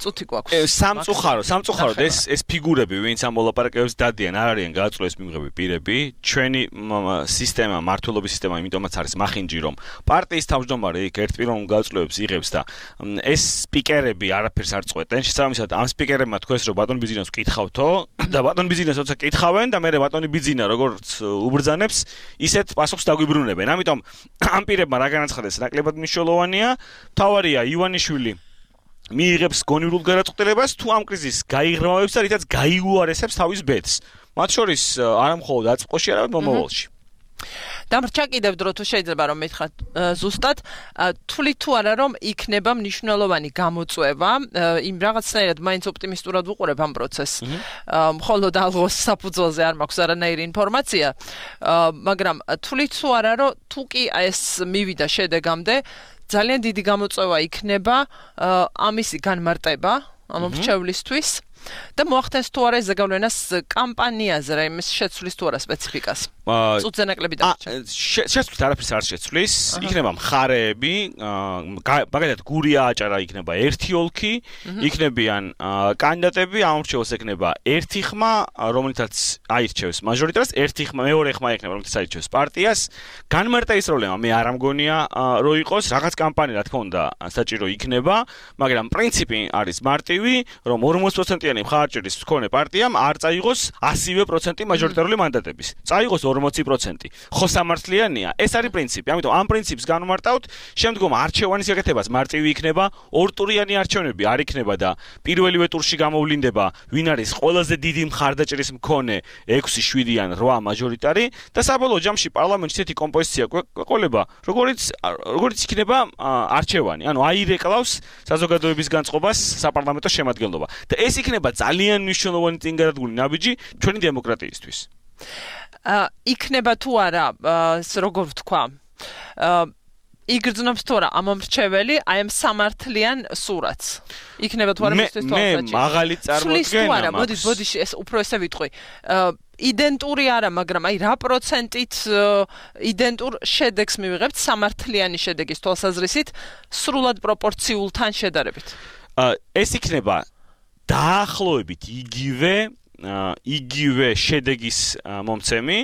წუთი გვაქვს. სამწუხარო, სამწუხაროდ ეს ეს ფიგურები, ვინც ამ მოლაპარაკებებს დადიან, არ არიან გააწვეს მიმღები პირები. ჩვენი სისტემა, მართლობის სისტემა, იმიტომაც არის მახინჯი, რომ პარტიის თავმჯდომარე იქ ერთპიროვნულ გააწვევებს იღებს და ეს სპიკერები არაფერს არ წყვეტენ. შესაბამისად, ამ სპიკერებმა თქვეს, რომ ბატონ ბიზინას ვკითხავთო და ბატონ ბიზინას როცა კითხავენ და მე ბატონი ბიზინა როგორც უბრძანებს, ისეთ პასუხს დაგვიბრუნებენ. ამიტომ ამ პირებმა რა განაცხადეს, ნაკლებად მნიშვნელოვანია. თავარია ივანიშვილი მიიღებს გონივრულ გადაწყვეტილებას თუ ამ კრიზისს გაიღრმავებს და რითაც გაიუარესებს თავის ბედს. მათ შორის არა მხოლოდ აწმყოში, არამედ მომავალში. დამრჩა კიდევ დრო თუ შეიძლება რომ მითხრათ ზუსტად თვლით თუ არა რომ იქნება მნიშვნელოვანი გამოწვევა იმ რაღაცნაირად მაინც ოპტიმისტურად ვუყურებ ამ პროცესს. მხოლოდ ალღოს საფუძველზე არ მაქვს არანაირი ინფორმაცია, მაგრამ თვლით თუ არა რომ თუ კი ეს მივიდა შედეგამდე ძალიან დიდი გამოწვევა იქნება ამისი განმარტება ამ მრჩევლისთვის და მოახდენს თუ არა ეს ზეგავლენას კამპანიაზე რა იმის შეცვლის თუ არა სპეციფიკას. წუთზე ნაკლები დარჩა. შეცვლის არაფერს არ შეცვლის, იქნება მხარეები, მაგალითად გურია აჭარა იქნება ერთი ოლქი, იქნებიან კანდიდატები, ამ მრჩეველს ექნება ერთი ხმა, რომელიცაც აირჩევს მაჟორიტარს, ერთი ხმა, მეორე ხმა ექნება, რომელიცაც აირჩევს პარტიას. განმარტების პრობლემა მე არ ამგონია რომ იყოს, რაღაც კამპანია რა თქმა უნდა საჭირო იქნება, მაგრამ პრინციპი არის მარტივი, რომ ორმოცი პროცენტიანი მხარჭერის მქონე პარტიამ არ წაიღოს ასივე პროცენტი მაჟორიტარული მანდატების. წაიღოს ორმოცი პროცენტი. ხო სამართლიანია? ეს არის პრინციპი. ამიტომ ამ პრინციპს განვმარტავთ, შემდგომ არჩევანის გაკეთებას მარტივი იქნება, ორტურიანი არჩევნები არ იქნება და პირველივე ტურში გამოვლინდება, ვინ არის ყველაზე დიდი მხარდაჭერის მქონე ექვსი, შვიდი ან რვა მაჟორიტარი და საბოლოო ჯამში პარლამენტში ესეთი კომპოზიცია გვეყოლება, როგორც როგორც იქნება არჩევანი. ანუ აირეკლავს საზოგადოების განწყობას საპარლამენტო შემადგენლობა. და ეს იქნება ძალიან მნიშვნელოვანი წინგადადგმული ნაბიჯი ჩვენი დემოკრატიისთვის. იქნება თუ არა, როგორ ვთქვა, იგრძნობს თუ არა ამ მრჩეველი აი ამ სამართლიან სურათს. იქნება თუ არა მისთვის თვალსაჩინო. მე მაღალი წარმოდგენა მაქვს. მოდი, მოდი, ეს უფრო ესე ვიტყვი. იდენტური არა, მაგრამ აი რა პროცენტით იდენტურ შედეგს მივიღებთ სამართლიანი შედეგის თვალსაზრისით სრულად პროპორციულთან შედარებით. ეს იქნება დაახლოებით იგივე იგივე შედეგის მომცემი,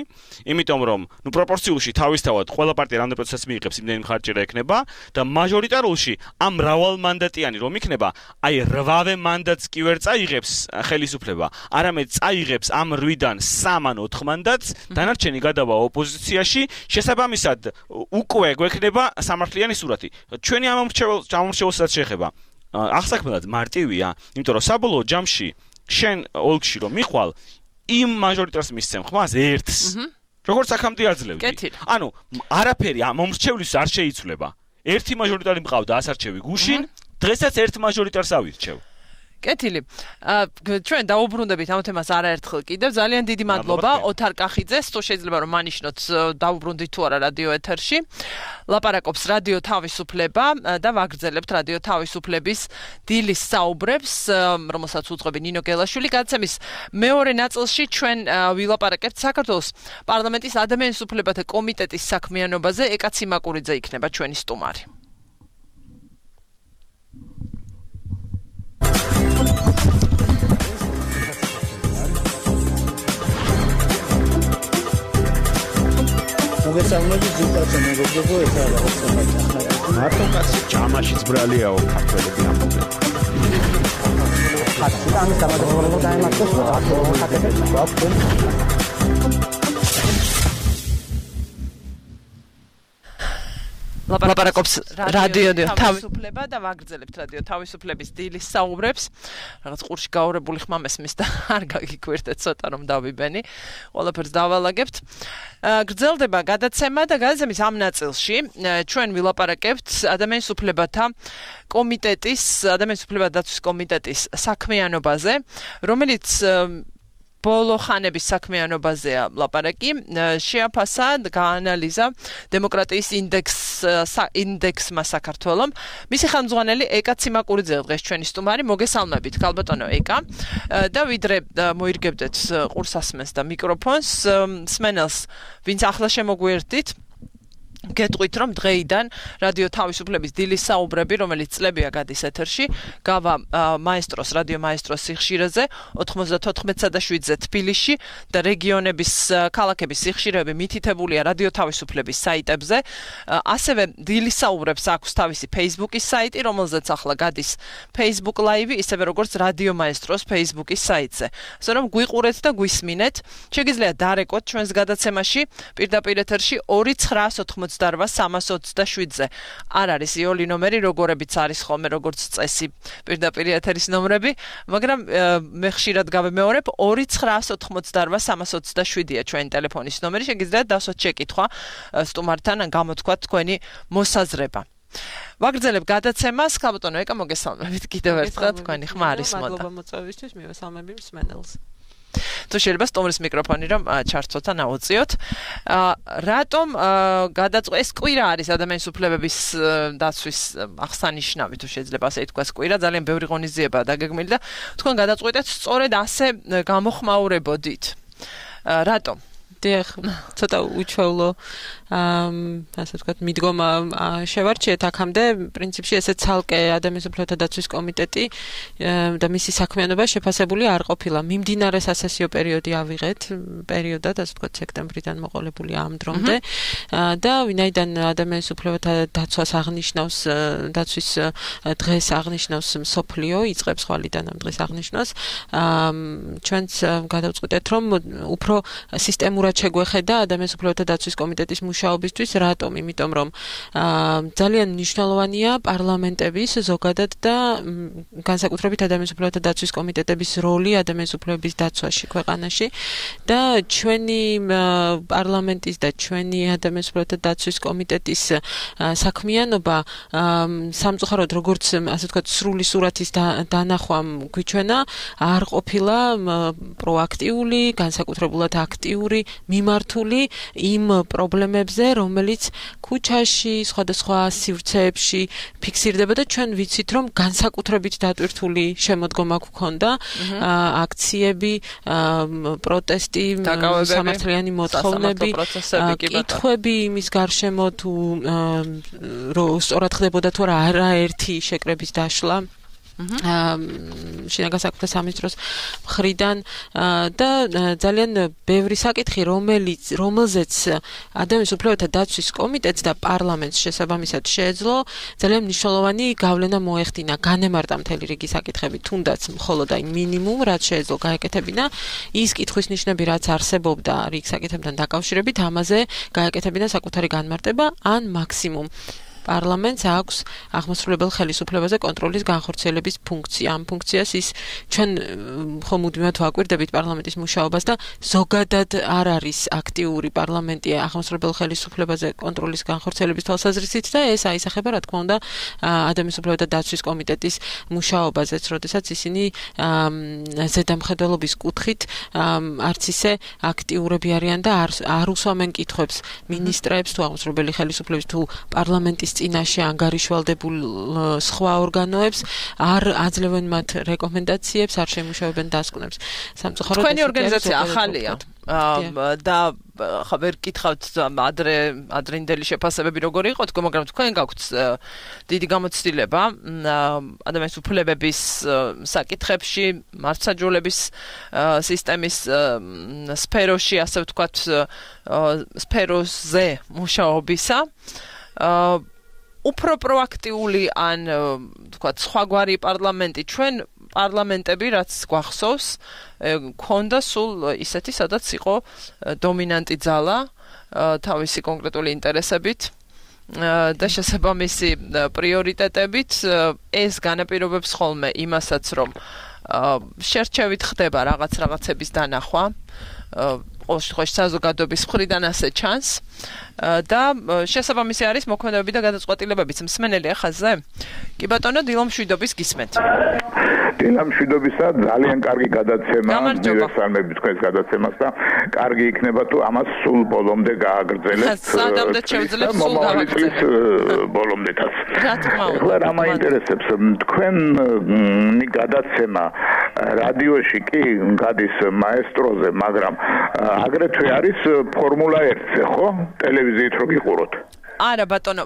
იმიტომ რომ ნუ პროპორციულში თავისთავად ყველა პარტია რამდენი პროცენტს მიიღებს, იმდენი მხარჭერა ექნება და მაჟორიტარულში ამ მრავალმანდატიანი რომ იქნება, აი რვავე მანდატს კი ვერ წაიღებს ხელისუფლება, არამედ წაიღებს ამ რვიდან სამ ან ოთხ მანდატს, დანარჩენი გადავა ოპოზიციაში, შესაბამისად უკვე გვექნება სამართლიანი სურათი. ჩვენი ამ მრჩეველსაც შეეხება აღსაქმნელად მარტივია, იმიტომ რომ საბოლოო ჯამში შენ ოლქში რომ მიხვალ, იმ მაჟორიტარს მისცემ ხმას ერთს. როგორც აქამდე აძლევდი. ანუ არაფერი ამ მომრჩევლის არ შეიცვლება. ერთი მაჟორიტარი მყავდა ასარჩევი გუშინ, დღესაც ერთ მაჟორიტარს ავირჩევ. კეთილი. ჩვენ დაუბრუნდებით ამ თემას არაერთხელ კიდევ. ძალიან დიდი მადლობა ოთარ კახიძეს, თუ შეიძლება რომ მანიშნოთ დაუბრუნდით თუ არა რადიო ეთერში. ლაპარაკობს რადიო თავისუფლება და ვაგრძელებთ რადიო თავისუფლების დილის საუბრებს, რომელსაც უძღვები ნინო გელაშვილი. გადაცემის მეორე ნაწილში ჩვენ ვილაპარაკებთ საქართველოს პარლამენტის ადამიანის უფლებათა კომიტეტის საქმიანობაზე. ეკა ციმაკურიძე იქნება ჩვენი სტუმარი. მოგესალმებით ზუსტად მეგობრებო, ეს არის სამართალი. მარტო კაცი ჯამაშიც ბრალიაო ქართველები ამბობენ. ხათი და ამის დამადროებულება დაემართოს, ხათები გვაქვს. ლაპარაკობს რადიო თავისუფლება და ვაგრძელებთ რადიო თავისუფლების დილის საუბრებს. რაღაც ყურში გაურებული ხმამესმის და არ გაგიკვირდეთ ცოტა რომ დავიბენი. ყველაფერს დავალაგებთ. გრძელდება გადაცემა და გადაცემის ამ ნაწილში ჩვენ ვილაპარაკებთ ადამიანის უფლებათა კომიტეტის, ადამიანის უფლებათა დაცვის კომიტეტის საქმიანობაზე, რომელიც ბოლო ხანების საქმიანობაზეა ლაპარაკი, შეაფასა და გაანალიზა დემოკრატიის ინდექს ინდექსმა საქართველოს. მისი ხელმძღვანელი ეკა ციმაკურიძე დღეს ჩვენი სტუმარი, მოგესალმებით ქალბატონო ეკა. და ვიდრე მოირგებდეთ ყურსასმენს და მიკროფონს, სმენელს, ვინც ახლა შემოგვიერთდით, გეტყვით რომ დღეიდან რადიო თავისუფლების დილის საუბრები, რომელიც წლებია გადის ეთერში, გავა მაესტროს, რადიო მაესტროს სიხშირეზე ოთხმოცდათოთხმეტსა და შვიდზე თბილისში და რეგიონების ქალაქების სიხშირეები მითითებულია რადიო თავისუფლების საიტებზე. ასევე დილის საუბრებს აქვს თავისი Facebook-ის საიტი, რომელზეც ახლა გადის Facebook Live, ისევე როგორც რადიო მაესტროს Facebook-ის საიტზე. ასე რომ გვიყურეთ და გვისმინეთ. შეგიძლიათ დარეკოთ ჩვენს გადაცემაში პირდაპირ ეთერში ორი ცხრაას ოცდარვა სამას ოცდაშვიდზე. არ არის იოლი ნომერი, როგორებიც არის ხოლმე როგორც წესი პირდაპირ ეთერის ნომრები, მაგრამ მე ხშირად გავემეორებ ორი ცხრაას ოცდარვა სამას ოცდაშვიდია ჩვენი ტელეფონის ნომერი. შეგიძლიათ დასვათ შეკითხვა სტუმართან ან გამოთქვათ თქვენი მოსაზრება. ვაგრძელებ გადაცემას, ქალბატონო ეკა მოგესალმებით კიდევ ერთხელ, თქვენი ხმა არის მოდა. მადლობა მოწვევისთვის, მივესალმები მსმენელს. თუ შეიძლება სტუმრის მიკროფონი რომ ჩარცოთა ნაუწიოთ. რატომ გადაწყვეტ ეს კვირა არის ადამიანის უფლებების დაცვის აღსანიშნავი, თუ შეიძლება ასე ითქვას, კვირა ძალიან ბევრი ღონისძიებაა დაგეგმილი და თქვენ გადაწყვეტეთ სწორედ ასე გამოხმაურებოდით. რატომ? დიახ, ცოტა უჩვეულო ასე ვთქვათ, მიდგომა შევარჩიეთ აქამდე, პრინციპში ესე ცალკე ადამიანის უფლებათა დაცვის კომიტეტი და მისი საქმიანობა შეფასებული არ ყოფილა. მიმდინარე სასესიო პერიოდი ავიღეთ, პერიოდად, ასე ვთქვათ, სექტემბრიდან მოყოლებული ამ დრომდე და ვინაიდან ადამიანის უფლებათა დაცვას აღნიშნავს, დაცვის დღეს აღნიშნავს მსოფლიო, იწყებს ხვალიდან ამ დღეს აღნიშნავს, ჩვენც გადავწყვიტეთ, რომ უფრო სისტემურად შეგვეხედა ადამიანის უფლებათა დაცვის კომიტეტის მუშაობისთვის, რატომ? იმიტომ რომ ძალიან მნიშვნელოვანია პარლამენტების ზოგადად და განსაკუთრებით ადამიანის უფლებათა დაცვის კომიტეტების როლი ადამიანის უფლებების დაცვაში ქვეყანაში და ჩვენი პარლამენტის და ჩვენი ადამიანის უფლებათა დაცვის კომიტეტის საქმიანობა სამწუხაროდ როგორც ასე ვთქვათ სრული სურათის დანახვამ გვიჩვენა, არ ყოფილა პროაქტიული, განსაკუთრებულად აქტიური მიმართული იმ პრობლემებზე, რომელიც ქუჩაში, სხვადასხვა სივრცეებში ფიქსირდება და ჩვენ ვიცით, რომ განსაკუთრებით დატვირთული შემოდგომა გვქონდა, აქციები, პროტესტი, სამართლიანი მოთხოვნები, კითხვები იმის გარშემო თუ სწორად ხდებოდა თუ არა არაერთი შეკრების დაშლა. შინაგან საქმეთა სამინისტროს მხრიდან და ძალიან ბევრი საკითხი, რომელიც რომელზეც ადამიანის უფლებათა დაცვის კომიტეტს და პარლამენტს შესაბამისად შეეძლო, ძალიან მნიშვნელოვანი გავლენა მოეხდინა, განემარტა მთელი რიგი საკითხები, თუნდაც მხოლოდ აი მინიმუმ, რაც შეეძლო გაეკეთებინა, ის კითხვის ნიშნები, რაც არსებობდა რიგ საკითხებთან დაკავშირებით, ამაზე გაეკეთებინა საკუთარი განმარტება ან მაქსიმუმ პარლამენტს აქვს აღმასრულებელ ხელისუფლებაზე კონტროლის განხორციელების ფუნქცია. ამ ფუნქციას ის ჩვენ ხომ მუდმივად ვაკვირდებით პარლამენტის მუშაობას და ზოგადად არ არის აქტიური პარლამენტი აღმასრულებელ ხელისუფლებაზე კონტროლის განხორციელების თვალსაზრისით და ეს აისახება, რა თქმა უნდა, ადამიანის უფლებათა დაცვის კომიტეტის მუშაობაზეც, როდესაც ისინი ზედამხედველობის კუთხით არც ისე აქტიურები არიან და არ უსვამენ კითხვებს მინისტრებს თუ აღმასრულებელი ხელისუფლების თუ პარლამენტის წინაშე ანგარიშვალდებულ სხვა ორგანოებს, არ აძლევენ მათ რეკომენდაციებს, არ შემუშავებენ დასკვნებს. სამწუხაროდ თქვენი ორგანიზაცია ახალია და ხა ვერ გითხავთ ადრე ადრინდელი შეფასებები როგორი იყო, მაგრამ თქვენ გაქვთ დიდი გამოცდილება ადამიანის უფლებების საკითხებში, მართლმსაჯულების სისტემის სფეროში, ასე ვთქვათ, სფეროზე მუშაობისა. უფრო პროაქტიული ან თქვათ სხვაგვარი პარლამენტი ჩვენ პარლამენტები რაც გვახსოვს ქონდა სულ ისეთი სადაც იყო დომინანტი ძალა თავისი კონკრეტული ინტერესებით და შესაბამისი პრიორიტეტებით ეს განაპირობებს ხოლმე იმასაც, რომ შერჩევით ხდება რაღაც რაღაცების დანახვა. ყოველ შემთხვევაში საზოგადოების მხრიდან ასე ჩანს და შესაბამისი არის მოქმედებები და გადაწყვეტილებებიც. მსმენელი ხაზზე? კი ბატონო, დილამშვიდობის გისმენთ. დილამშვიდობისა, ძალიან კარგი გადაცემა, მივესალმები თქვენს გადაცემას და კარგი იქნება თუ ამას სულ ბოლომდე გააგრძელებთ. სადამდე შევძლებ სულ გავაგრძელებთ ბოლომდეაც. რა თქმა უნდა. ახლა რა მაინტერესებს თქვენი გადაცემა რადიოში კი გადის მაესტროზე, მაგრამ აგრეთვე არის ფორმულა ერთზე, ხო? ტელევიზიით რო გიყუროთ. არა ბატონო,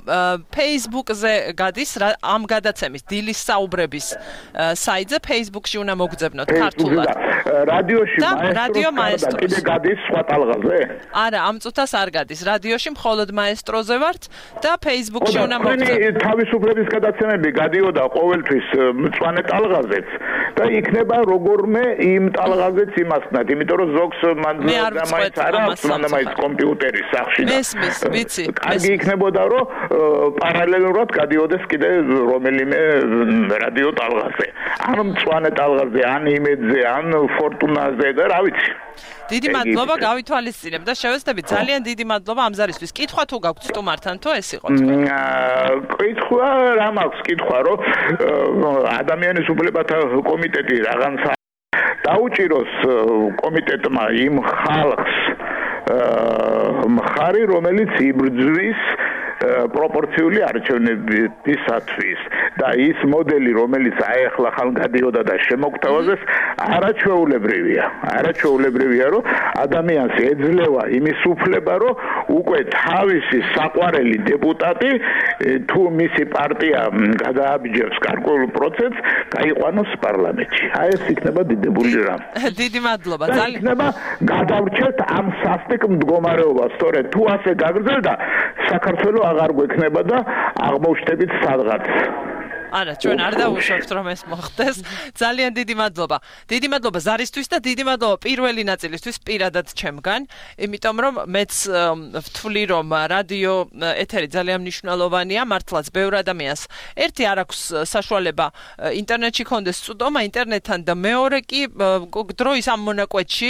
Facebook-ზე გადის ამ გადაცემის დილის საუბრების საიტზე, Facebook-ში უნდა მოგძებნოთ ქართულად. რადიოში მაესტროს კიდე გადის სხვა ტალღაზე? არა, ამ წუთას არ გადის. რადიოში მხოლოდ მაესტროზე ვართ და Facebook-ში უნდა მოგძებნოთ. თავისუფლების გადაცემები გადიოდა ყოველთვის მწვანე ტალღაზეც და იქნება როგორმე იმ ტალღაზეც იმასნად, იმიტომ რომ ზოგს მან დამაიც არა, მან დამაიც კომპიუტერის სახში და მესმის, ვიცი. კარგი იქნება და რომ პარალელურად გადიოდეს კიდე რომელიმე რადიო ტალღაზე. ან მწვანე ტალღაზე, ან იმედზე, ან ფორტუნაზე და რა ვიცი. დიდი მადლობა, გავითვალისწინებ და შევეცდებით. ძალიან დიდი მადლობა ამ ზარისთვის. კითხვა თუ გაქვთ სტუმართან თუ ეს იყო თქვენ? კითხვა რა მაქვს კითხვა, რომ ადამიანის უფლებათა კომიტეტი რაღაცა დაუჭიროს კომიტეტმა იმ ხალხს მხარი, რომელიც იბრძვის პროპორციული არჩევნებისათვის და ის მოდელი, რომელიც აეხლა ხან გადიოდა და შემოგთავაზეს, არაჩვეულებრივია. არაჩვეულებრივია, რომ ადამიანს ეძლევა იმის უფლება, რომ უკვე თავისი საყვარელი დეპუტატი თუ მისი პარტია გადააბიჯებს გარკვეულ პროცესს, გაიყვანოს პარლამენტში. აი ეს იქნება დიდებული რამ. დიდი მადლობა. ძალიან იქნება გადავრჩეთ ამ სასტიკ მდგომარეობას, სწორედ თუ ასე გაგრძელდა საქართველოს აღარ გვექნება და აღმოჩნდებით სადღაც. არა, ჩვენ არ დავუშვებთ რომ ეს მოხდეს. ძალიან დიდი მადლობა. დიდი მადლობა ზარისთვის და დიდი მადლობა პირველი ნაწილისთვის პირადად ჩემგან, იმიტომ რომ მეც ვთვლი რომ რადიო ეთერი ძალიან მნიშვნელოვანია, მართლაც ბევრ ადამიანს ერთი არ აქვს საშუალება ინტერნეტში კონდეს წვდომა ინტერნეტთან და მეორე კი დროის ამ მონაკვეთში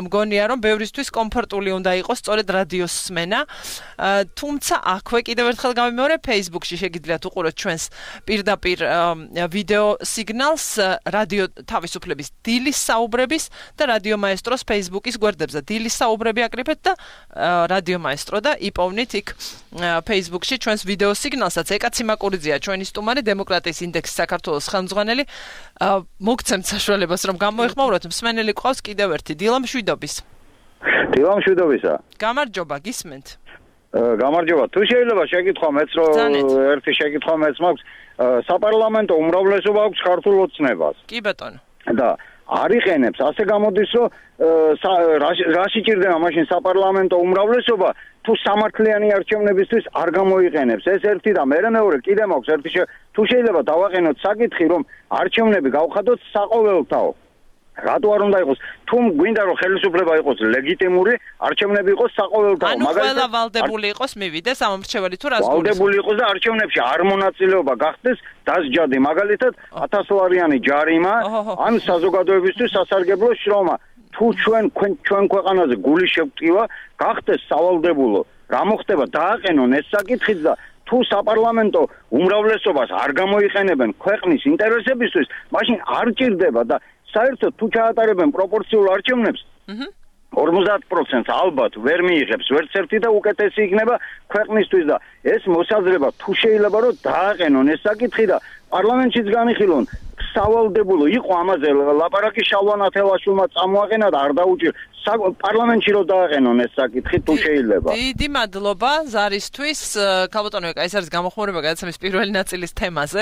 მგონია რომ ბევრისთვის კომფორტული უნდა იყოს სწორედ რადიოს სმენა. თუმცა აქვე კიდევ ერთხელ გამიმეორე, Facebook-ში შეგიძლიათ უყუროთ ჩვენს პირდაპირ ვიდეო სიგნალს რადიო თავისუფლების დილის საუბრების და რადიო მაესტროს Facebook-ის გვერდებზე. დილის საუბრები აკრიფეთ და რადიო მაესტრო და იპოვნით იქ Facebook-ში ჩვენს ვიდეო სიგნალსაც. ეკა ციმაკურიძეა ჩვენი სტუმარი, დემოკრატიის ინდექსის საქართველოს ხელმძღვანელი. მოგცემთ საშუალებას რომ გამოეხმაუროთ. მსმენელი ყავს კიდევ ერთი. დილამშვიდობის. დილამშვიდობისა. გამარჯობა, გისმენთ. გამარჯობა. თუ შეიძლება შეკითხვა მეც რომ ერთი შეკითხვა მეც მაქვს. საპარლამენტო უმრავლესობა აქვს ქართულ ოცნებას. კი ბატონო. და არიყენებს, ასე გამოდის, რომ რა შეჭირდება მაშინ საპარლამენტო უმრავლესობა თუ სამართლიანი არჩევნებისთვის არ გამოიყენებს. ეს ერთი და მერე მეორე კიდე მაქვს ერთი თუ შეიძლება დავაყენოთ საკითხი, რომ არჩევნები გავხადოთ საყოველთაო. რატო არ უნდა იყოს? თუ გვინდა რომ ხელისუფლება იყოს ლეგიტიმური, არჩევნები იყოს საყოველთაო. ანუ ყველა ვალდებული იყოს მივიდეს ამომრჩეველი თუ რას გულისხმობთ? ვალდებული იყოს და არჩევნებში არ მონაწილეობა გახდეს დასჯადი, მაგალითად ათასლარიანი ჯარიმა ან საზოგადოებისთვის სასარგებლო შრომა. თუ ჩვენ ჩვენ ქვეყანაზე გული შევტკივა, გახდეს სავალდებულო. რა მოხდება? დააყენონ ეს საკითხიც და თუ საპარლამენტო უმრავლესობას არ გამოიყენებენ ქვეყნის ინტერესებისთვის, მაშინ არ ჭირდება და საერთოდ თუ ჩაატარებენ პროპორციულ არჩევნებს, ორმოცდაათ პროცენტს ალბათ ვერ მიიღებს ვერც ერთი და უკეთესი იქნება ქვეყნისთვის და ეს მოსაზრება თუ შეიძლება რომ დააყენონ ეს საკითხი და პარლამენტშიც განიხილონ სავალდებულო იყო ამაზე ლაპარაკი შალვა ათელაშვილმა წამოაყენა და არ დაუჭირ პარლამენტში რომ დააყენონ ეს საკითხი თუ შეიძლება. დიდი მადლობა ზარისთვის. ქალბატონო, ეს არის გამოხმაურება გადაცემის პირველი ნაწილის თემაზე.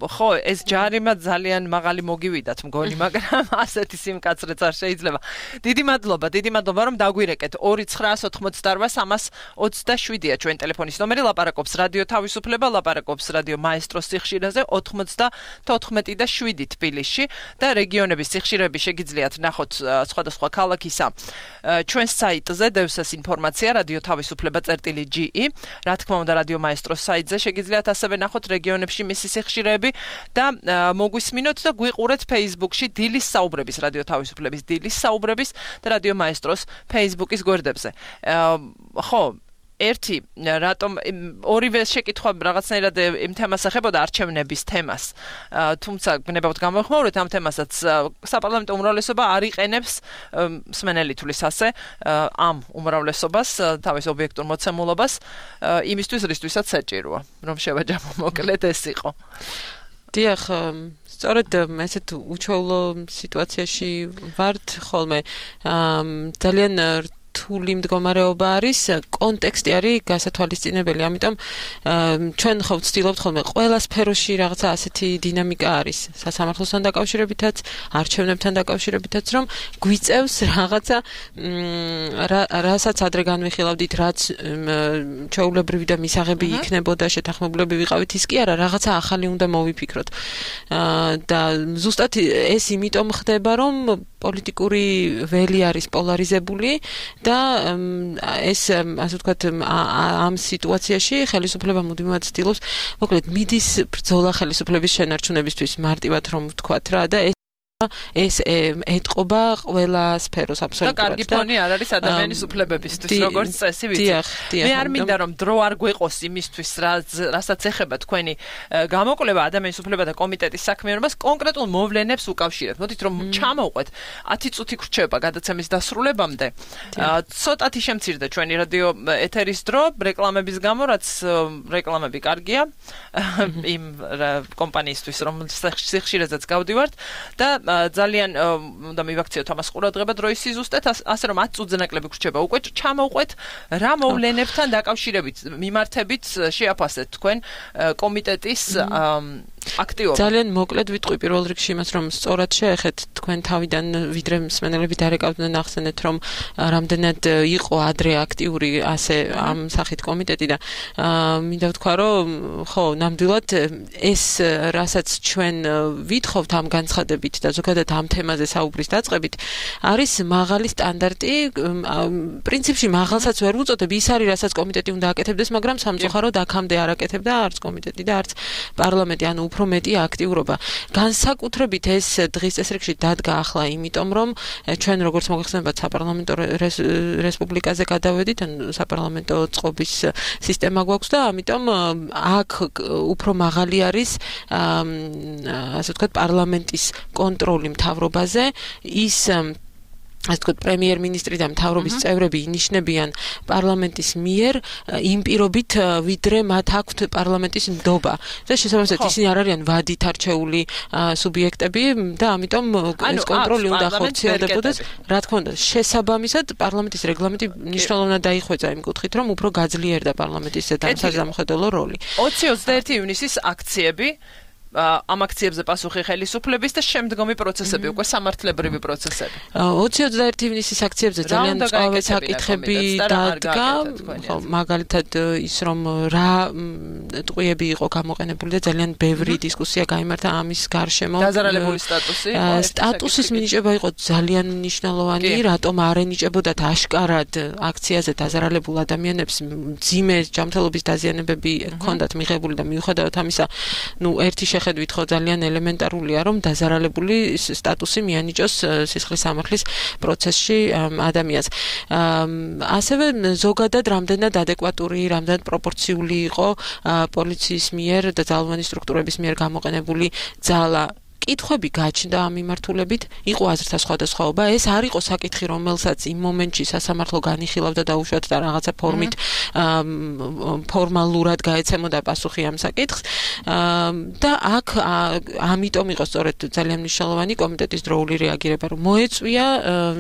ხო, ეს ჯარიმა ძალიან მაღალი მოგივიდათ მგონი, მაგრამ ასეთი სიმკაცრეც არ შეიძლება. დიდი მადლობა, დიდი მადლობა რომ დაგვირეკეთ. ორი ცხრაას ოთხმოცდაორ სამას ოცდაშვიდია ჩვენ ტელეფონის ნომერი, ლაპარაკობს რადიო თავისუფლება, ლაპარაკობს რადიო მაესტროს სიხშირეზე ოთხმოცდათოთხმეტი და შვიდი თბილისში და რეგიონების სიხშირეები შეგიძლიათ ნახოთ სხვადასხვა სხვადასხვა ქალაქისა ჩვენს საიტზე დევსეს ინფორმაცია რადიო თავისუფლება წერტილი ჯი ი. რა თქმა უნდა რადიო მაესტროს საიტზე შეგიძლიათ ასევე ნახოთ რეგიონებში მისი სიხშირეები და მოგვისმინოთ და გვიყურეთ Facebook-ში დილის საუბრების რადიო თავისუფლების დილის საუბრების და რადიო მაესტროს Facebook-ის გვერდებზე. ხო ერთი რატომ ორივე შეკითხვა რაღაცნაირად იმ თემას ეხებოდა არჩევნების თემას. თუმცა გნებავთ გამოხმაურეთ ამ თემასაც საპარლამენტო უმრავლესობა არ იყენებს მსმენელი თulis ასე ამ უმრავლესობას თავის ობიექტურ მოცემულობას იმისთვის რისთვისაც საჭიროა რომ შევაჯამო მოკლედ ეს იყო. დიახ სწორედ ესეთ უჩვეულო სიტუაციაში ვართ ხოლმე ძალიან რთული მდგომარეობა არის კონტექსტი არის გასათვალისწინებელი ამიტომ ჩვენ ხო ვცდილობთ ხოლმე ყველა სფეროში რაღაცა ასეთი დინამიკა არის სასამართლოსთან დაკავშირებითაც არჩევნებთან დაკავშირებითაც რომ გვიწევს რაღაცა რასაც ადრე განვიხილავდით რაც ჩვეულებრივი და მისაღები იქნებოდა შეთანხმებულები ვიყავით ის კი არა რაღაცა ახალი უნდა მოვიფიქროთ და ზუსტად ეს იმიტომ ხდება რომ პოლიტიკური ველი არის პოლარიზებული და ეს ასე ვთქვათ ამ სიტუაციაში ხელისუფლება მუდმივად ცდილობს მოკლედ მიდის ბრძოლა ხელისუფლების შენარჩუნებისთვის მარტივად რომ ვთქვათ რა და ეს ეთყობა ყველა სფეროს აბსოლუტურად. და კარგი ფონი არ არის ადამიანის უფლებებისთვის, როგორც წესი ვიცით. მე არ მინდა რომ დრო არ გვეყოს იმისთვის, რასაც ეხება თქვენი გამოკვლევა ადამიანის უფლებათა კომიტეტის საქმიანობას კონკრეტულ მოვლენებს უკავშირებთ. მოდით რომ ჩამოვყვეთ ათი წუთი გრჩება გადაცემის დასრულებამდე. ცოტათი შემცირდა ჩვენი რადიო ეთერის დრო რეკლამების გამო, რაც რეკლამები კარგია იმ კომპანიისთვის, რომ სიხშირეზეც გავდივართ და ძალიან უნდა მივაქციოთ ამას ყურადღება დროის სიზუსტეთ, ასე რომ ათი წუთზე ნაკლები გრჩება უკვე ჩამოვყვეთ რა მოვლენებთან დაკავშირებით მიმართებით შეაფასეთ თქვენ კომიტეტის აქტიობა. ძალიან მოკლედ ვიტყვი პირველ რიგში იმას რომ სწორად შეეხეთ თქვენ თავიდან ვიდრე მსმენელები დარეკავდნენ ახსენეთ რომ რამდენად იყო ადრე აქტიური ასე ამ სახით კომიტეტი და მინდა ვთქვა რომ ხო ნამდვილად ეს რასაც ჩვენ ვითხოვთ ამ განცხადებით და ზოგადად ამ თემაზე საუბრის დაწყებით არის მაღალი სტანდარტი პრინციპში მაღალსაც ვერ ვუწოდებ ის არის რასაც კომიტეტი უნდა აკეთებდეს მაგრამ სამწუხაროდ აქამდე არ აკეთებდა არც კომიტეტი და არც პარლამენტი ანუ უფრო მეტი აქტიურობა. განსაკუთრებით ეს დღის წესრიგში დადგა ახლა იმიტომ რომ ჩვენ როგორც მოგეხსენებათ საპარლამენტო რესპუბლიკაზე გადავედით ან საპარლამენტო წყობის სისტემა გვაქვს და ამიტომ აქ უფრო მაღალი არის ასე ვთქვათ პარლამენტის კონტროლი მთავრობაზე ის ასე ვთქვათ პრემიერ-მინისტრი და მთავრობის წევრები ინიშნებიან პარლამენტის მიერ იმ პირობით ვიდრე მათ აქვთ პარლამენტის ნდობა და შესაბამისად ისინი არ არიან ვადით არჩეული სუბიექტები და ამიტომ ეს კონტროლი უნდა ხორციელდებოდეს რა თქმა უნდა შესაბამისად პარლამენტის რეგლამენტი მნიშვნელოვნად დაიხვეწა იმ კუთხით რომ უფრო გაძლიერდა პარლამენტის დამსახურებელო როლი. ოცი ოცდაერთი ივნისის აქციები ამ აქციებზე პასუხი ხელისუფლების და შემდგომი პროცესები, უკვე სამართლებრივი პროცესები. ოცი ოცდაერთი ივნისის აქციებზე ძალიან მწვავე საკითხები დადგა, მაგალითად ის რომ რა ტყვიები იყო გამოყენებული და ძალიან ბევრი დისკუსია გაიმართა ამის გარშემო. დაზარალებული სტატუსი. სტატუსის მინიჭება იყო ძალიან მნიშვნელოვანი, რატომ არ ენიჭებოდათ აშკარად აქციაზე დაზარალებულ ადამიანებს მძიმე ჯანმრთელობის დაზიანებები ჰქონდათ მიღებული და მიუხედავად ამისა, ნუ ერთი შეხედვით ხო ძალიან ელემენტარულია რომ დაზარალებული სტატუსი მიანიჭოს სისხლის სამართლის პროცესში ადამიანს. ასევე ზოგადად რამდენად ადეკვატური, რამდენად პროპორციული იყო პოლიციის მიერ და ძალოვანი სტრუქტურების მიერ გამოყენებული ძალა. კითხვები გაჩნდა ამ მიმართულებით, იყო აზრთა სხვადასხვაობა, ეს არ იყო საკითხი, რომელსაც იმ მომენტში სასამართლო განიხილავდა და უშუალოდ და რაღაცა ფორმით ფორმალურად გაეცემოდა პასუხი ამ საკითხს. და აქ ამიტომ იყო სწორედ ძალიან მნიშვნელოვანი კომიტეტის დროული რეაგირება, რომ მოეწვია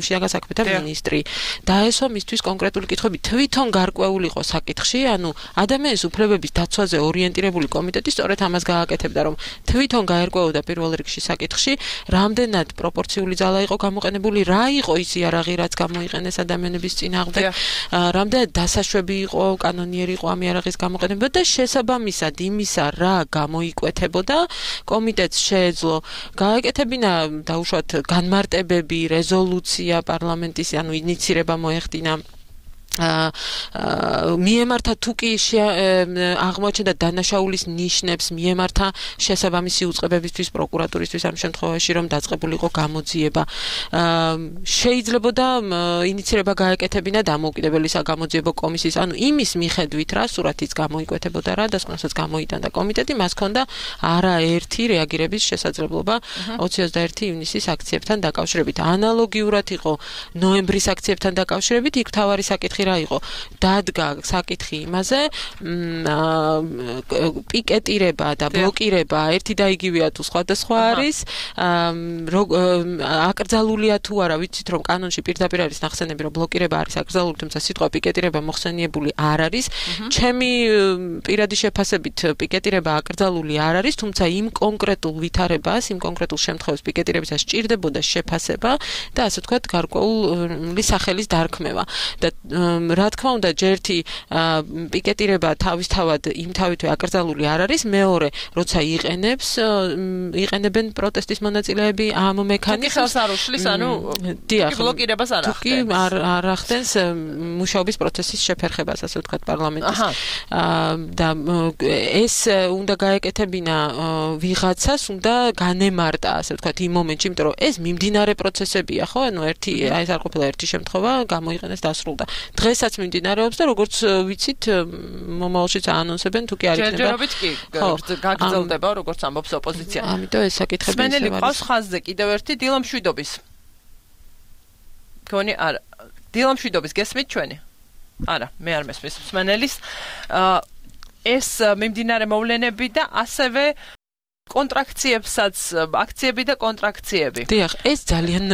შინაგან საქმეთა მინისტრი. დაესვა მისთვის კონკრეტული კითხვები, თვითონ გარკვეული იყო საკითხში, ანუ ადამიანის უფლებების დაცვაზე ორიენტირებული კომიტეტი სწორედ ამას გააკეთებდა, რომ თვითონ გაერკვეოდა პირველ რიგში შემთხვევაში საკითხში, რამდენად პროპორციული ძალა იყო გამოყენებული, რა იყო ის იარაღი, რაც გამოიყენეს ადამიანების წინააღმდეგ, რამდენად დასაშვები იყო, კანონიერი იყო ამ იარაღის გამოყენება და შესაბამისად იმისა, რა გამოიკვეთებოდა, კომიტეტს შეეძლო გაეკეთებინა დაუშვათ განმარტებები, რეზოლუცია პარლამენტის, ანუ ინიცირება მოეხდინა მიემართა თუ კი აღმოჩნდა დანაშაულის ნიშნებს მიემართა შესაბამისი უწყებებისთვის პროკურატურისთვის ამ შემთხვევაში რომ დაწყებულიყო გამოძიება შეიძლებოდა ინიცირება გაეკეთებინა დამოუკიდებელი საგამოძიებო კომისიის ანუ იმის მიხედვით რა სურათიც გამოიკვეთებოდა რა დასკვნასაც გამოიტანდა კომიტეტი მას ჰქონდა არაერთი რეაგირების შესაძლებლობა ოცი ოცდაერთი ივნისის აქციებთან დაკავშირებით ანალოგიურად იყო ნოემბრის აქციებთან დაკავშირებით იქ თავარი საკითხი რა იყო დადგა საკითხი იმაზე პიკეტირება და ბლოკირება ერთი და იგივეა თუ სხვადასხვა არის აკრძალულია თუ არა ვიცით რომ კანონში პირდაპირ არის ნახსენები რომ ბლოკირება არის აკრძალული თუმცა სიტყვა პიკეტირება მოხსენიებული არ არის ჩემი პირადი შეფასებით პიკეტირება აკრძალული არ არის თუმცა იმ კონკრეტულ ვითარებას იმ კონკრეტულ შემთხვევას პიკეტირებისას სჭირდებოდა შეფასება და ასე ვთქვათ გარკვეული სახელის დარქმევა და რა თქმა უნდა ჯერთი პიკეტირება თავისთავად იმ თავითვე აკრძალული არ არის მეორე როცა იყენებს იყენებენ პროტესტის მონაწილეები ამ მექანიზმს არ უშლის ანუ ბლოკირებას არ ახდენს კი არ ახდენს მუშაობის პროცესის შეფერხებას ასე ვთქვათ პარლამენტის და ეს უნდა გაეკეთებინა ვიღაცას უნდა განემარტა ასე ვთქვათ იმ მომენტში იმიტომ რომ ეს მიმდინარე პროცესებია ხო ანუ ერთი აი ეს არ ყოფილა ერთი შემთხვევა გამოიყენეს დასრულდა დღესაც მიმდინარეობს და როგორც ვიცით მომავალშიც აანონსებენ თუ კი არ იქნება ჯერჯერობით კი გაგრძელდება როგორც ამბობს ოპოზიცია ამიტომ ეს საკითხები სმენელი ყავს ხაზზე კიდევ ერთი დილამშვიდობის გონი არა დილამშვიდობის გესმით ჩვენი არა მე არ მესმის სმენელის ეს მიმდინარე მოვლენები და ასევე კონტრაქციებსაც აქციები და კონტრაქციები. დიახ, ეს ძალიან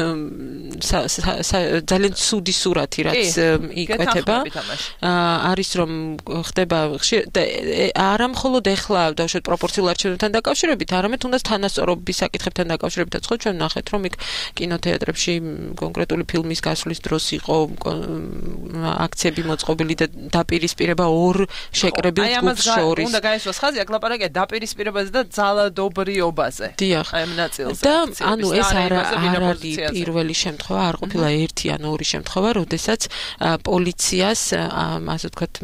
ძალიან ცუდი სურათი რაც იკვეთება. არის რომ ხდება არა მხოლოდ ეხლა დავუშვათ პროპორციულ არჩევნებთან დაკავშირებით, არამედ თუნდაც თანასწორობის საკითხებთან დაკავშირებითაც ხო ჩვენ ნახეთ რომ იქ კინოთეატრებში კონკრეტული ფილმის გასვლის დროს იყო აქციები მოწყობილი და დაპირისპირება ორ შეკრებილ ჯგუფს შორის. უნდა გაესვას ხაზი, აქ ლაპარაკია დაპირისპირებაზე და ძალა dobrიობაზე. დიახ. აი ამ ნაწილზე. და ანუ ეს არ არის პირველი შემთხვევა, არ ყოფილა ერთი ან ორი შემთხვევა, როდესაც პოლიციას ასე ვთქვათ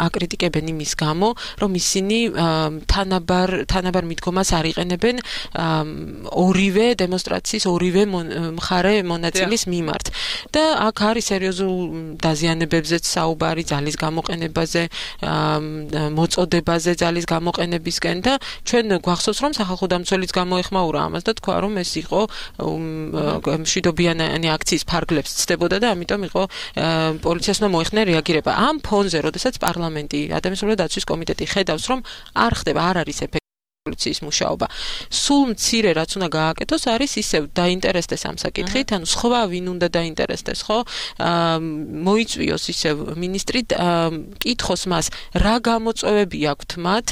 აკრიტიკებენ იმის გამო, რომ ისინი თანაბარ თანაბარ მიდგომას არ იყენებენ ორივე დემონსტრაციის ორივე მხარე მონაწილის მიმართ. და აქ არის სერიოზულ დაზიანებებზეც საუბარი, ძალის გამოყენებაზე, მოწოდებაზე ძალის გამოყენებისკენ და ჩვენ გვახსოვს რომ სახალხო დამცველიც გამოეხმაურა ამას და თქვა რომ ეს იყო მშვიდობიანი აქციის ფარგლებს ცდებოდა და ამიტომ იყო პოლიციას უნდა მოეხდინა რეაგირება ამ ფონზე როდესაც პარლამენტი ადამიანის უფლებათა დაცვის კომიტეტი ხედავს რომ არ ხდება არ არის ეფექტი პოლიციის მუშაობა. სულ მცირე რაც უნდა გააკეთოს არის ისევ დაინტერესდეს ამ საკითხით, ანუ სხვა ვინ უნდა დაინტერესდეს, ხო? მოიწვიოს ისევ მინისტრი კითხოს მას, რა გამოწვევები აქვთ მათ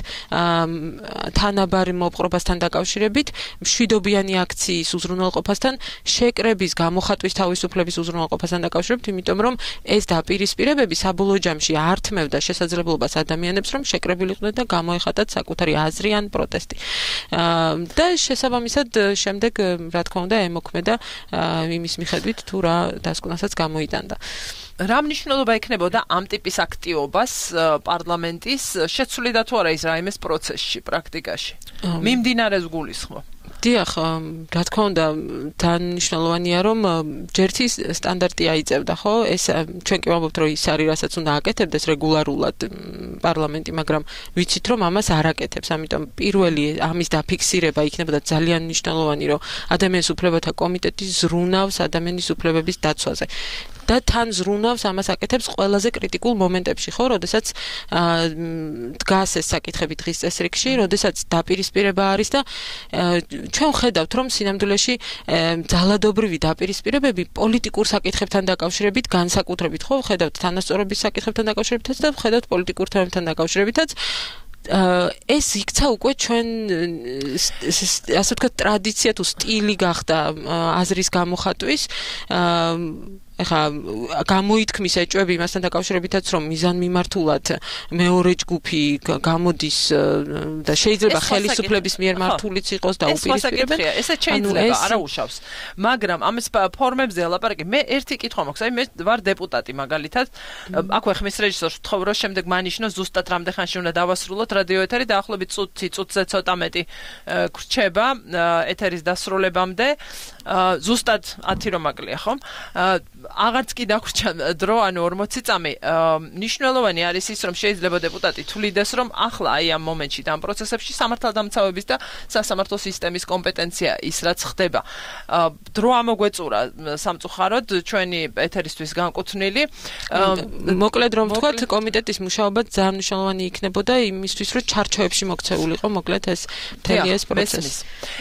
თანაბარ მოპყრობასთან დაკავშირებით, მშვიდობიანი აქციის უზრუნველყოფასთან, შეკრების გამოხატვის თავისუფლების უზრუნველყოფასთან დაკავშირებით, იმიტომ რომ ეს დაპირისპირებები საბოლოო ჯამში ართმევდა შესაძლებლობას ადამიანებს, რომ შეკრებილიყვნენ და გამოეხატათ საკუთარი აზრი ან პროტესტი. და შესაბამისად შემდეგ რა თქმა უნდა ემოქმედა იმის მიხედვით თუ რა დასკვნასაც გამოიტანდა. რა მნიშვნელობა ექნებოდა ამ ტიპის აქტივობას პარლამენტის შეცვლიდა თუ არა ის რაიმეს პროცესში პრაქტიკაში? მიმდინარეს გულისხმობ. დიახ, რა თქმა უნდა, დანიშნულოვანია რომ ჯერთი სტანდარტი აიწევდა, ხო? ეს ჩვენ კი ვამბობთ, რომ ის არის, რასაც უნდა აკეთებდეს რეგულარულად პარლამენტი, მაგრამ ვიცით, რომ ამას არ აკეთებს, ამიტომ პირველი ამის დაფიქსირება იქნებოდა ძალიან მნიშვნელოვანი, რომ ადამიანის უფლებათა კომიტეტი ზრუნავს ადამიანის უფლებების დაცვაზე. და თან ზრუნავს ამას აკეთებს ყველაზე კრიტიკულ მომენტებში, ხო, როდესაც დგას ეს საკითხები დღის წესრიგში, როდესაც დაპირისპირება არის და ჩვენ ხედავთ, რომ სინამდვილეში ძალადობრივი დაპირისპირებები პოლიტიკურ საკითხებთან დაკავშირებით განსაკუთრებით, ხო, ხედავთ თანასწორობის საკითხებთან დაკავშირებითაც და ხედავთ პოლიტიკურ თემებთან დაკავშირებითაც ეს იქცა უკვე ჩვენ ასე ვთქვათ ტრადიცია თუ სტილი გახდა აზრის გამოხატვის ეხა გამოითქმის ეჭვები იმასთან დაკავშირებითაც რომ მიზანმიმართულად მეორე ჯგუფი გამოდის და შეიძლება ხელისუფლების მიერ მართულიც იყოს და უპირისპირებენ ესე შეიძლება არა უშავს მაგრამ ამის ფორმებზე ლაპარაკი მე ერთი კითხვა მაქვს აი მე ვარ დეპუტატი მაგალითად აქვე ხმის რეჟისორს ვთხოვ რომ შემდეგ მანიშნოს ზუსტად რამდენ ხანში უნდა დავასრულოთ რადიო ეთერი დაახლოებით წუთი წუთზე ცოტა მეტი გრჩება ეთერის დასრულებამდე ზუსტად ათი რომ აკლია ხომ აღარც კი დაგვრჩა დრო ანუ ორმოცი წამი ნიშნულოვანი არის ის რომ შეიძლება დეპუტატი თვლიდეს რომ ახლა აი ამ მომენტში და ამ პროცესებში სამართალდამცავების და სასამართლო სისტემის კომპეტენცია ის რაც ხდება დრო ამოგვეწურა სამწუხაროდ ჩვენი ეთერისთვის განკუთვნილი მოკლედ რომ ვთქვათ კომიტეტის მუშაობა ძალიან მნიშვნელოვანი იქნებოდა იმისთვის რომ ჩარჩოებში მოქცეულიყო მოკლედ ეს მთელი ეს პროცესი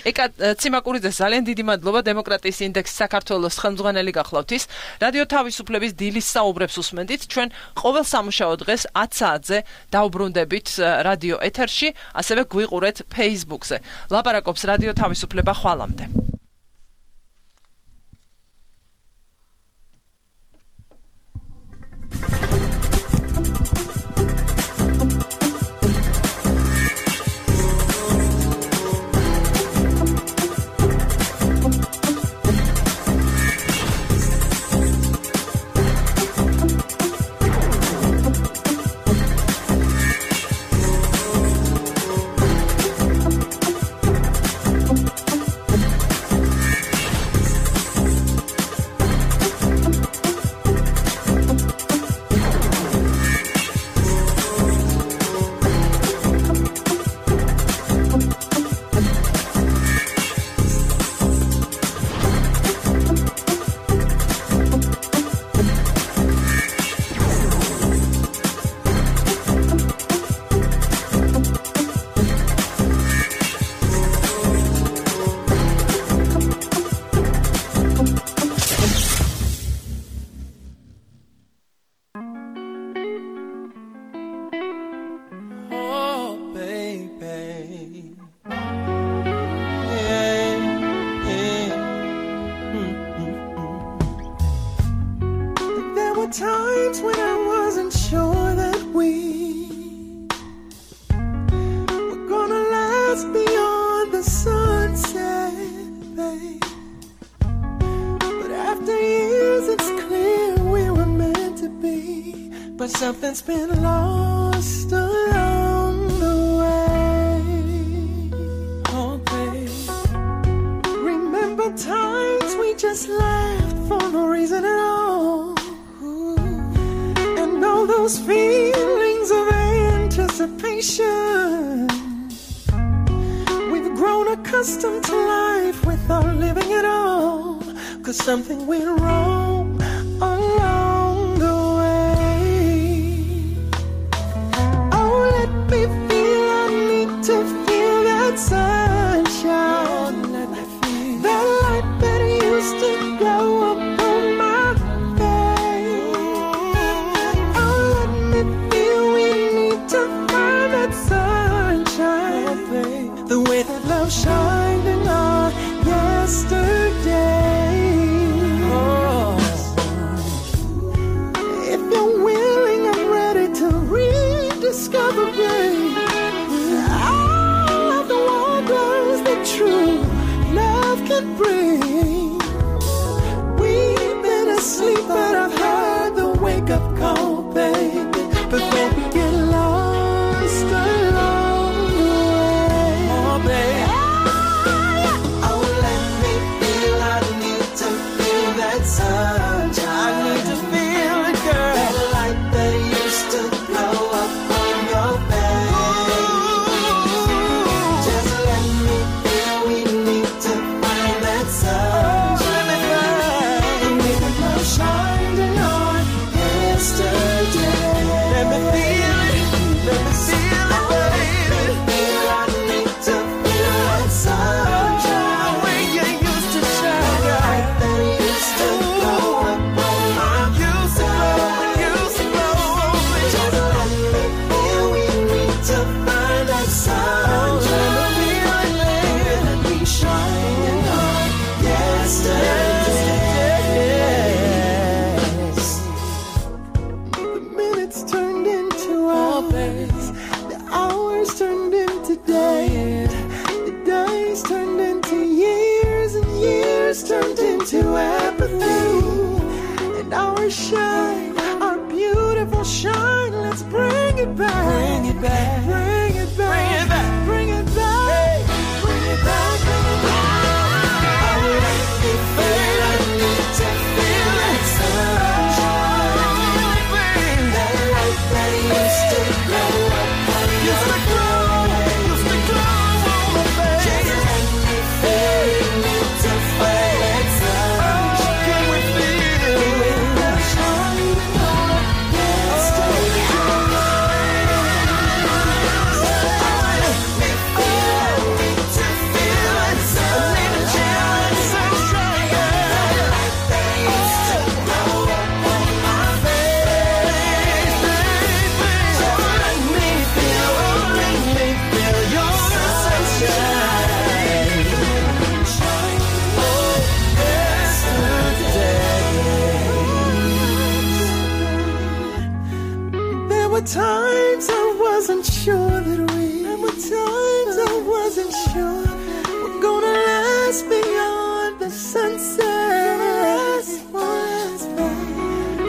ეკა ციმაკურიძე ძალიან დიდი მადლობა დემოკრატიის ინდექსის საქართველოს ხელმძღვანელი გახლავთ ის რადიო თავისუფლების დილის საუბრებს უსმენდით ჩვენ ყოველ სამუშაო დღეს ათ საათზე დავბრუნდებით რადიო ეთერში ასევე გვიყურეთ Facebook-ზე ლაპარაკობს რადიო თავისუფლება ხვალამდე Something's been lost along the way. Oh, babe. Remember times we just laughed for no reason at all. Ooh. And all those feelings of anticipation. We've grown accustomed to life without living at all. 'Cause something went wrong along the way. To feel that sunshine, that light that used to glow up on my face. Oh, let me feel we need to find that sunshine, the way that love shined in our yesterday. Oh. If you're willing, I'm ready to rediscover, babe. True love can bring. We've been asleep, but I've heard the wake-up call, baby. Before we get lost along the way, oh, baby. Oh, let me feel. I need to feel that sunshine. I need to feel it, girl. That light that used to glow up on your face. Just let me. We need to find that sun. to apathy. And our shine, our beautiful shine, let's bring it back. Bring it back. Bring it back. Bring it back. Bring it back. Hey. Bring it back. Bring it back. I will make me feel. I need to feel that sunshine. That light that used to glow up on your face. Used to glow on my face. Just make me feel. I need to feel that sunshine. Can we feel the shine of yesterday? Times I wasn't sure that we There were times I wasn't sure we're gonna last beyond the sunset.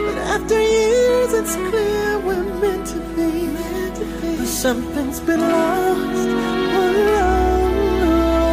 But after years it's clear we're meant to be, meant to be. But something's been lost along the way.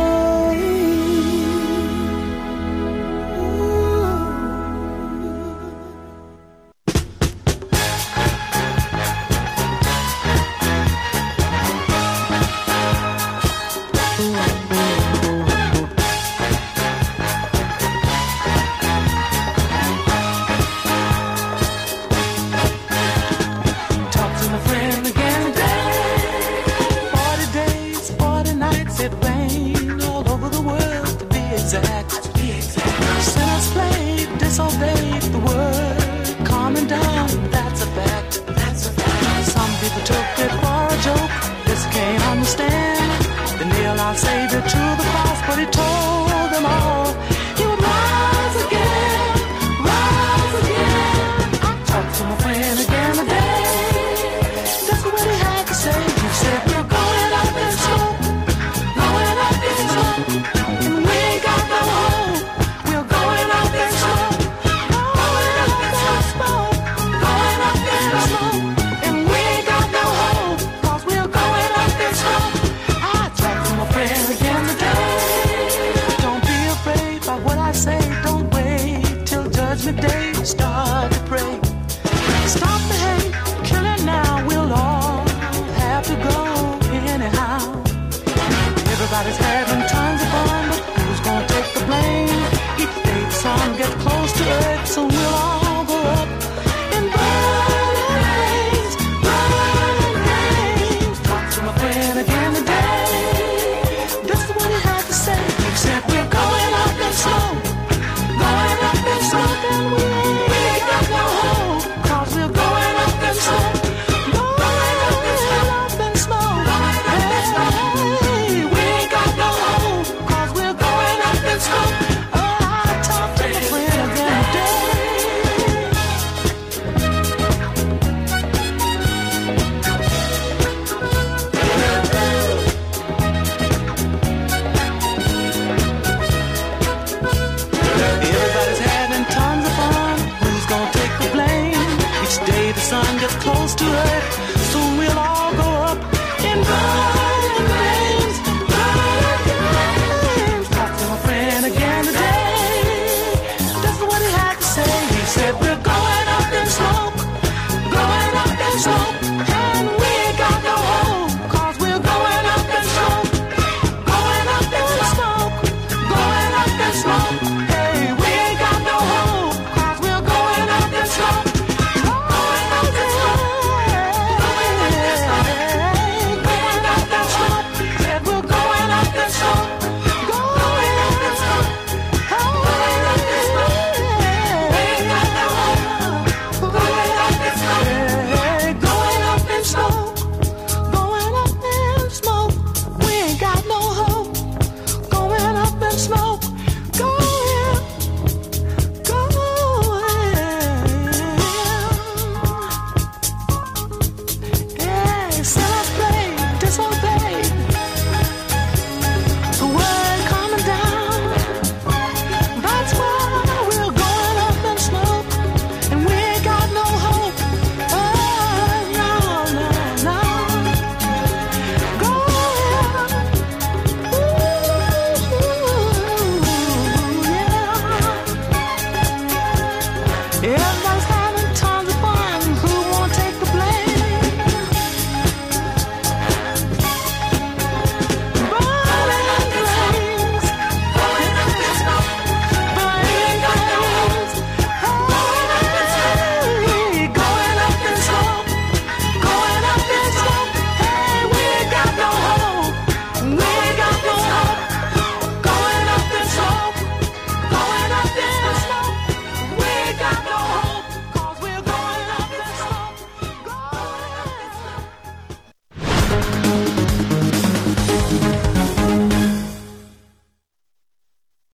Smoke